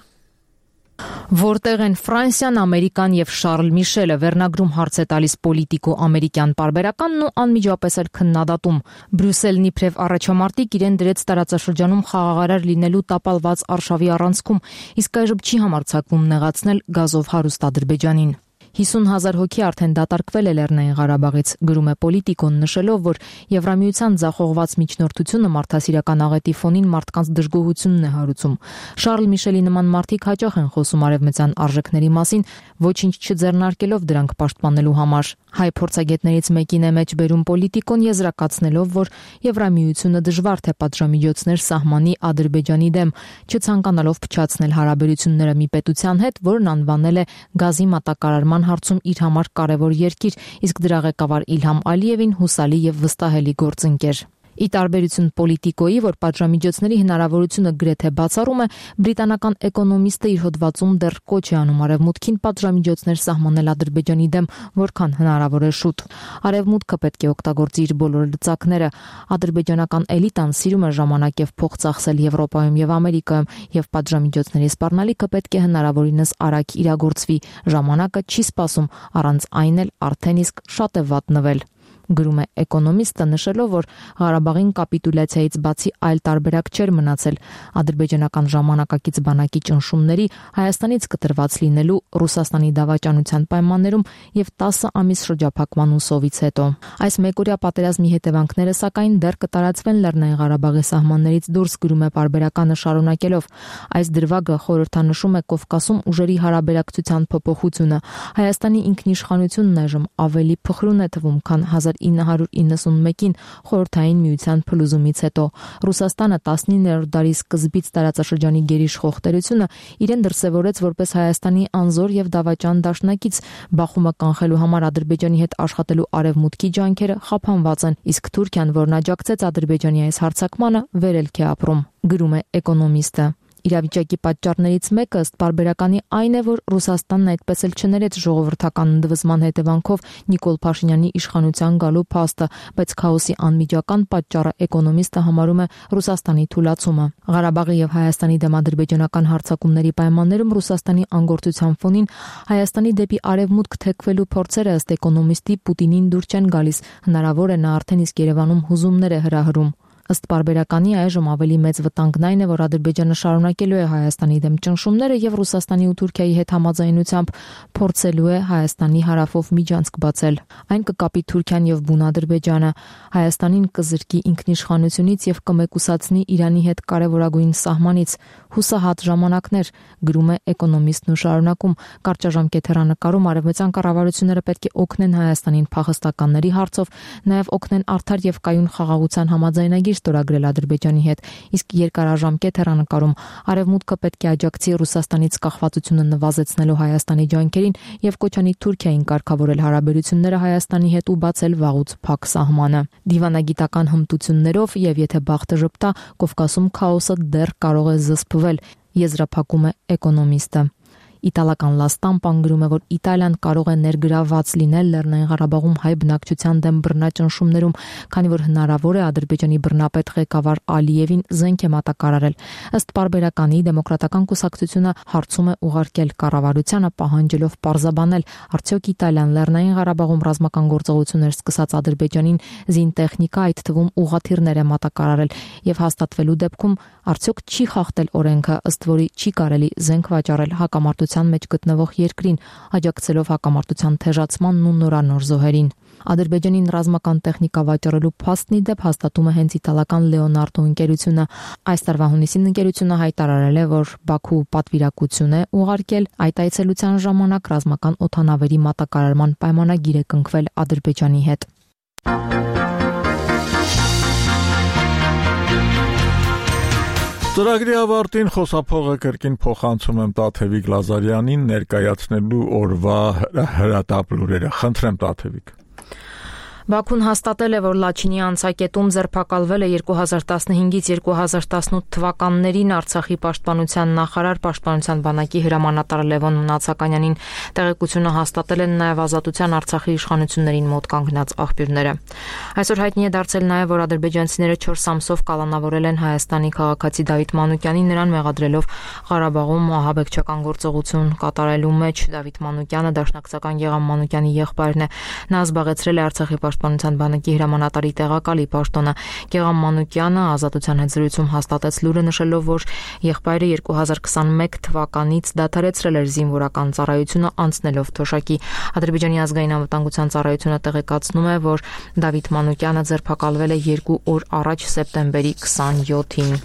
Որտեղ են Ֆրանսիան, Ամերիկան եւ Շարլ Միշելը, վերնագրում հարց է տալիս պոլիտիկո-ամերիկյան պարբերականն ու անմիջապես էլ քննադատում։ Բրյուսելն իբրև առաջամարտիկ իրեն դրեց տարածաշրջանում խաղաղարար լինելու տապալված արշավի առանցքում, իսկ այժմ չի համարձակվում նեղացնել գազով հարուստ Ադրբեջանին։ հիսուն հազար հոգի արդեն դատարկվել է Լեռնային Ղարաբաղից, գրում է Պոլիտիկոն, նշելով, որ Եվրամիության ձախողված միջնորդությունը մարդասիրական աղետի ֆոնին մարդկանց դժգոհությունն է հարուցում։ Շարլ Միշելի նման մարդիկ հաճախ են խոսում արևմտյան արժեքների մասին, ոչինչ չձեռնարկելով դրանք պաշտպանելու համար։ Հայ փորձագետներից մեկին է մեջ բերում Պոլիտիկոն, եզրակացնելով, որ Եվրամիությունը դժվար թե պատժամիջոցներ սահմանի Ադրբեջանի դեմ, չցանկանալով փչացնել հարաբերությունները մի պետության հետ, որն անվանել է գազի մատակարարման հարցում իր համար կարևոր երկիր, իսկ դրա ղեկավար Իլհամ Ալիևին հուսալի եւ վստահելի գործընկեր։ Ի տարբերություն Պոլիտիկոյի, որ պատժամիջոցների հնարավորությունը գրեթե բացառում է, բրիտանական էկոնոմիստը իր հոդվածում դեռ կոչ է անում արևմուտքին պատժամիջոցներ սահմանել Ադրբեջանի դեմ, որքան հնարավոր է շուտ։ Արևմուտքը պետք է օգտագործի իր բոլոր լծակները։ Ադրբեջանական էլիտան սիրում է ժամանակ եւ փող ծախսել Եվրոպայում եւ Ամերիկայում, եւ պատժամիջոցների սպառնալիքը պետք է հնարավորինս արագ իրագործվի։ Ժամանակը չի սպասում, առանց այն էլ արդեն իսկ շատ է վատնվել։ Գրում է էկոնոմիստը, նշելով, որ Ղարաբաղին կապիտուլյացիայից բացի այլ տարբերակ չէր մնացել ադրբեջանական ժամանակակից բանակի ճնշումների, Հայաստանից կտրված լինելու, Ռուսաստանի դավաճանության պայմաններում եւ տասը ամիս շրջափակման ու սովից հետո։ Այս մեկօրյա պատերազմի հետևանքները սակայն դեռ կտարածվեն Լեռնային Ղարաբաղի սահմաններից դուրս, գրում է պարբերականը շարունակելով։ Այս դրվագը խորհրդանշում է Կովկասում ուժերի հարաբերակցության փոփոխությունը։ Հայաստանի ինքնիշխանությունն այժմ ավելի փխրուն է թվում, քան հազար ինը հարյուր իննսունմեկին խորհրդային միության փլուզումից հետո։ Ռուսաստանը տասնիններորդ դարի սկզբից տարածաշրջանի գերիշխող տերությունը իրեն դրսևորեց որպես Հայաստանի անզոր եւ դավաճան դաշնակից։ Բախումը կանխելու համար Ադրբեջանի հետ աշխատելու արևմուտքի ջանքերը խափանված են, իսկ Թուրքիան, որն աջակցեց Ադրբեջանի այս հարձակմանը, վերելք է ապրում, գրում է էկոնոմիստը։ Իրավիճակի պատճառներից մեկը ըստ պարբերականի այն է, որ Ռուսաստանն այդպես էլ չներեց ժողովրդական ընդվզման հետևանքով Նիկոլ Փաշինյանի իշխանության գալու փաստը, բայց քաոսի անմիջական պատճառը էկոնոմիստը համարում է Ռուսաստանի թուլացումը։ Ղարաբաղի եւ Հայաստանի դեմ ադրբեջանական հարձակումների պայմաններում Ռուսաստանի անգործության ֆոնին Հայաստանի դեպի արևմուտք թեքվելու փորձերը ըստ էկոնոմիստի Պուտինին դուր չեն գալիս, հնարավոր է նա արդեն իսկ Երևանում հուզումներ է հրահրում։ Ըստ պարբերականի այժմ ավելի մեծ վտանգն այն է, որ Ադրբեջանը շարունակելու է Հայաստանի դեմ ճնշումները եւ Ռուսաստանի ու Թուրքիայի հետ համաձայնությամբ փորձելու է Հայաստանի հարավով միջանցք բացել։ Այն կկապի Թուրքիան եւ բուն Ադրբեջանը, Հայաստանին կզրկի ինքնիշխանությունից եւ կմեկուսացնի Իրանի հետ կարեւորագույն սահմանից։ Հուսահատ ժամանակներ, գրում է էկոնոմիստն ու շարունակում, կարճաժամկետ հեռանկարում արևմտյան կառավարությունները պետք է օգնեն Հայաստանին փախստականների հարցով, նաեւ օգնեն արդար եւ կայուն խաղաղության համաձայնագիր ստորագրել Ադրբեջանի հետ, իսկ երկարաժամկետ հեռանկարում Արևմուտքը պետք է աջակցի Ռուսաստանից կախվածությունը նվազեցնելու Հայաստանի ջանքերին եւ կոչ անի Թուրքիային կարգավորել հարաբերությունները Հայաստանի հետ ու բացել վաղուց փակ սահմանը։ Դիվանագիտական հմտություններով եւ եթե բախտը ժպտա, Կովկասում քաոսը դեռ կարող է զսպվել, եզրափակում է էկոնոմիստը։ Իտալական Լա Ստամպան գրում է, որ Իտալիան կարող է ներգրավված լինել Լեռնային Ղարաբաղում հայ բնակչության դեմ բռնաճնշումներում, քանի որ հնարավոր է Ադրբեջանի բռնապետ ղեկավար Ալիևին զենք է մատակարարել։ Ըստ պարբերականի դեմոկրատական կուսակցությունը հարցում է ուղարկել կառավարությանը, պահանջելով պարզաբանել, արդյոք Իտալիան Լեռնային Ղարաբաղում ռազմական գործողություններ սկսած Ադրբեջանին զինտեխնիկա, այդ թվում ուղղաթիռներ է մատակարարել եւ հաստատվելու դեպքում արդյոք չի խախտել օրենքը, ըստ որի չի կարելի զենք վաճառել հակամարտության մեջ գտնվող երկրին, աջակցելով հակամարտության թեժացմանն ու նորանոր զոհերին։ Ադրբեջանին ռազմական տեխնիկա վաճառելու փաստն ի դեպ հաստատում է հենց իտալական Լեոնարդո ընկերությունը։ Այս տարվա հունիսին ընկերությունը հայտարարել է, որ Բաքու պատվիրակություն է ուղարկել այդ այցելության ժամանակ ռազմական օդանավերի մատակարարման պայմանագիր է կնքվել Ադրբեջանի հետ։ Ծրագրի ավարտին խոսափողը կրկին փոխանցում եմ Տաթևիկ Լազարյանին ներկայացնելու օրվա հրատապ լուրերը։ Խնդրեմ Տաթևիկ։ Բաքուն հաստատել է, որ Լաչինի անցակետում ձերբակալվել է երկու հազար տասնհինգից երկու հազար տասնութ թվականներին Արցախի պաշտպանության նախարար պաշտպանության բանակի հրամանատար Լևոն Մնացականյանին։ Տեղեկությունը հաստատել են նաև Ազատության Արցախի իշխանություններին մոտ կանգնած աղբյուրները։ Այսօր հայտնի է դարձել նաև, որ ադրբեջանցիները չորս ամսով կալանավորել են Հայաստանի քաղաքացի Դավիթ Մանուկյանին, նրան մեղադրելով Ղարաբաղում ահաբեկչական գործողություն կատարելու մեջ։ Դավիթ Մանուկյանը Դաշնակցական Գեղամ Մանուկյանի եղբայրն է։ Նա զբաղեցրել է Արցախի Պաշտպանության բանակի հրամանատարի տեղակալի պաշտոնը։ Գեղամ Մանուկյանը Ազատության հետ զրույցում հաստատեց լուրը, նշելով, որ եղբայրը երկու հազար քսանմեկ թվականից դադարեցրել էր զինվորական ծառայությունը, անցնելով թոշակի։ Ադրբեջանի ազգային անվտանգության ծառայությունը տեղեկացնում է, որ Դավիթ Մանուկյանը ձերբակալվել է երկու օր առաջ սեպտեմբերի քսանյոթին։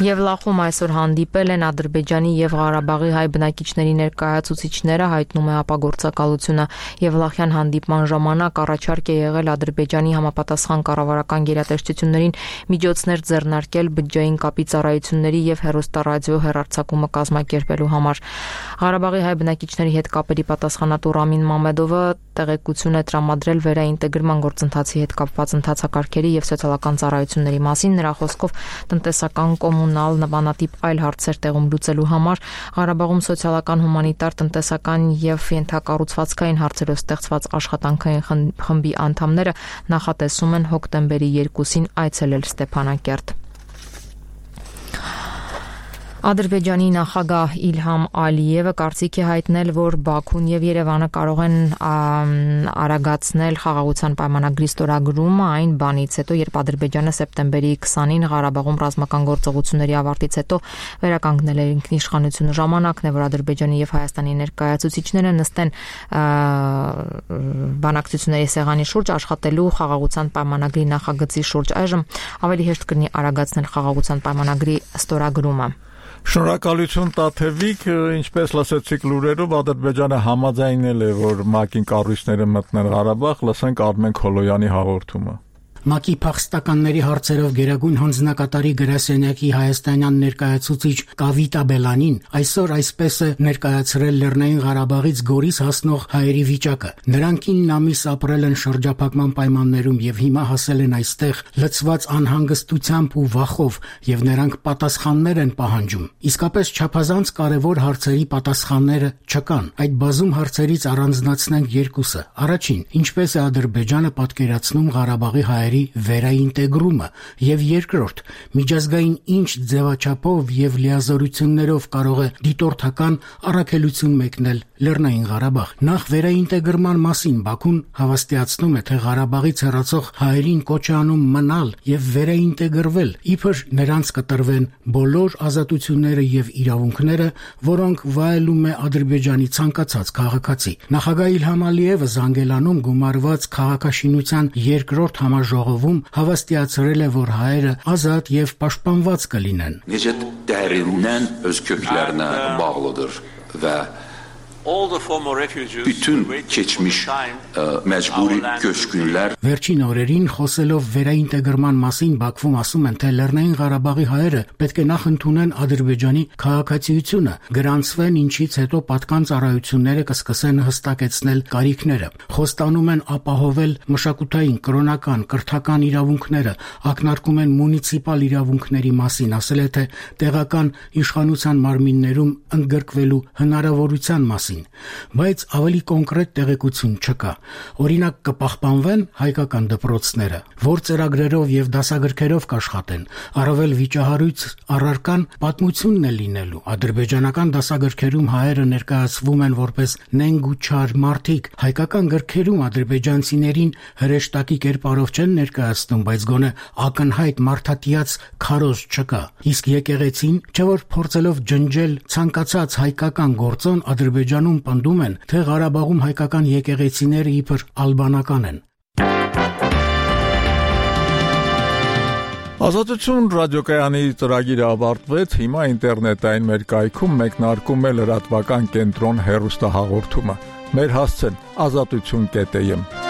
Եվ Լախում այսօր հանդիպել են Ադրբեջանի եւ Ղարաբաղի հայ բնակիչների ներկայացուցիչները, հայտնում է ապագործակալությունը։ Եվլախյան հանդիպման ժամանակ առաջարկ է եղել Ադրբեջանի համապատասխան կառավարական գերատեսչություններին միջոցներ ձեռնարկել բջջային կապի ծառայությունների եւ հեռուստառադիո հեռարձակումը կազմակերպելու համար։ Ղարաբաղի հայ բնակիչների հետ կապերի պատասխանատու Ռամին Մամեդովը տեղեկություն է տրամադրել վերաինտեգրման գործընթացի հետ կապված ընթացակարգերի եւ սոցիալական ծառայությունների մասին։ Նրա խոսքով տնտեսական, կոմունալ, նմանատիպ այլ հարցեր տեղում լուծելու համար Ղարաբաղում սոցիալական, հումանիտար, տնտեսական եւ ենթակառուցվածքային հարցերով ստեղծված աշխատանքային խմբի անդամները նախատեսում են հոկտեմբերի երկուսին այցելել Ստեփանակերտ։ Ադրբեջանի նախագահ Իլհամ Ալիևը կարծիք է հայտնել, որ Բաքուն եւ Երևանը կարող են արագացնել խաղաղության պայմանագրի ստորագրումը այն բանից հետո, երբ Ադրբեջանը սեպտեմբերի քսանին Ղարաբաղում ռազմական գործողությունների ավարտից հետո վերականգնել է ինքնիշխանությունը։ Ժամանակն է, որ Ադրբեջանի եւ Հայաստանի ներկայացուցիչները նստեն բանակցությունների սեղանի շուրջ աշխատելու խաղաղության պայմանագրի նախագծի շուրջ։ Այժմ ավելի հեշտ կլինի արագացնել խաղաղության պայմանագրի ստորագրումը։ Շնորհակալություն Տաթևիկ, ինչպես լսեցիք լուրերով, Ադրբեջանը համաձայնել է, որ ՄԱԿ-ին կառույցները մտնեն Ղարաբաղ, լսենք Արմեն Քոլոյանի հաղորդումը։ ՄԱԿ-ի փախստականների հարցերով գերագույն հանձնակատարի գրասենյակի հայաստանյան ներկայացուցիչ Կավիտա Բելանին այսօր այսպես է ներկայացրել Լեռնային Ղարաբաղից Գորիս հասնող հայերի վիճակը։ Նրանք ինը ամիս ապրել են շրջափակման պայմաններում եւ հիմա հասել են այստեղ լցված անհանգստությամբ ու վախով, եւ նրանք պատասխաններ են պահանջում։ Իսկապես չափազանց կարևոր հարցերի պատասխանները չկան։ Այդ բազում հարցերից առանձնացնենք երկուսը։ Առաջին, ինչպես է Ադրբեջանը պատկերացնում Ղարաբաղի հայերի վերաինտեգրումը, եւ երկրորդ, միջազգային ինչ ձևաչափով եւ լիազորություններով կարող է դիտորդական առաքելություն մեկնել Լեռնային Ղարաբաղ։ Նախ վերաինտեգրման մասին Բաքուն հավաստիացնում է, թե Ղարաբաղից հեռացող հայերին կոչ է անում մնալ եւ վերաինտեգրվել, իբր նրանց կտրվեն բոլոր ազատությունները եւ իրավունքները, որոնք վայելում է Ադրբեջանի ցանկացած քաղաքացի։ Նախագահ Իլհամ Ալիևը Զանգելանում գումարված քաղաքաշինության երկրորդ համաժողովում հավաստիացրել է, որ հայերը ազատ եւ պաշտպանված կլինեն։ Necə dərindən öz köklərinə bağlıdır və Bütün keçmiş məcburi köçkünlər Վերջին օրերին խոսելով վերաինտեգրման մասին Բաքվում ասում են, թե Լեռնային Ղարաբաղի հայերը պետք է նախ ընդունեն Ադրբեջանի քաղաքացիությունը, գրանցվեն, ինչից հետո պատկան ծառայությունները կսկսեն հստակեցնել կարիքները։ Խոստանում են ապահովել մշակութային, կրոնական, կրթական իրավունքները, ակնարկում են մունիցիպալ իրավունքների մասին, ասել է, թե տեղական իշխանության մարմիններում ընդգրկվելու հնարավորության մասին, բայց ավելի կոնկրետ տեղեկություն չկա։ Օրինակ կպահպանվեն հայկական դպրոցները, որ ծրագրերով եւ դասագրքերով կաշխատեն, առավել վիճահարույց առարկան պատմությունն է լինելու։ Ադրբեջանական դասագրքերում հայերը ներկայացվում են որպես նենգ ու չար մարդիկ, հայկական գրքերում ադրբեջանցիներին հրեշտակի կերպարով չեն ներկայացնում, բայց գոնե ակնհայտ մարդատիաց քարոզ չկա։ Իսկ եկեղեցին, չէ որ փորձելով ջնջել ցանկացած հայկական գործոն, Ադրբեջանում պնդում են, թե Ղարաբաղում հայկական եկեղեցիները իբր ալբանական են։ Ազատություն ռադիոկայանի ծրագիրը ավարտվեց, հիմա ինտերնետային մեր կայքում մեկնարկում է լրատվական կենտրոն հեռուստահաղորդումը։ Մեր հասցեն ազատություն կետ եմ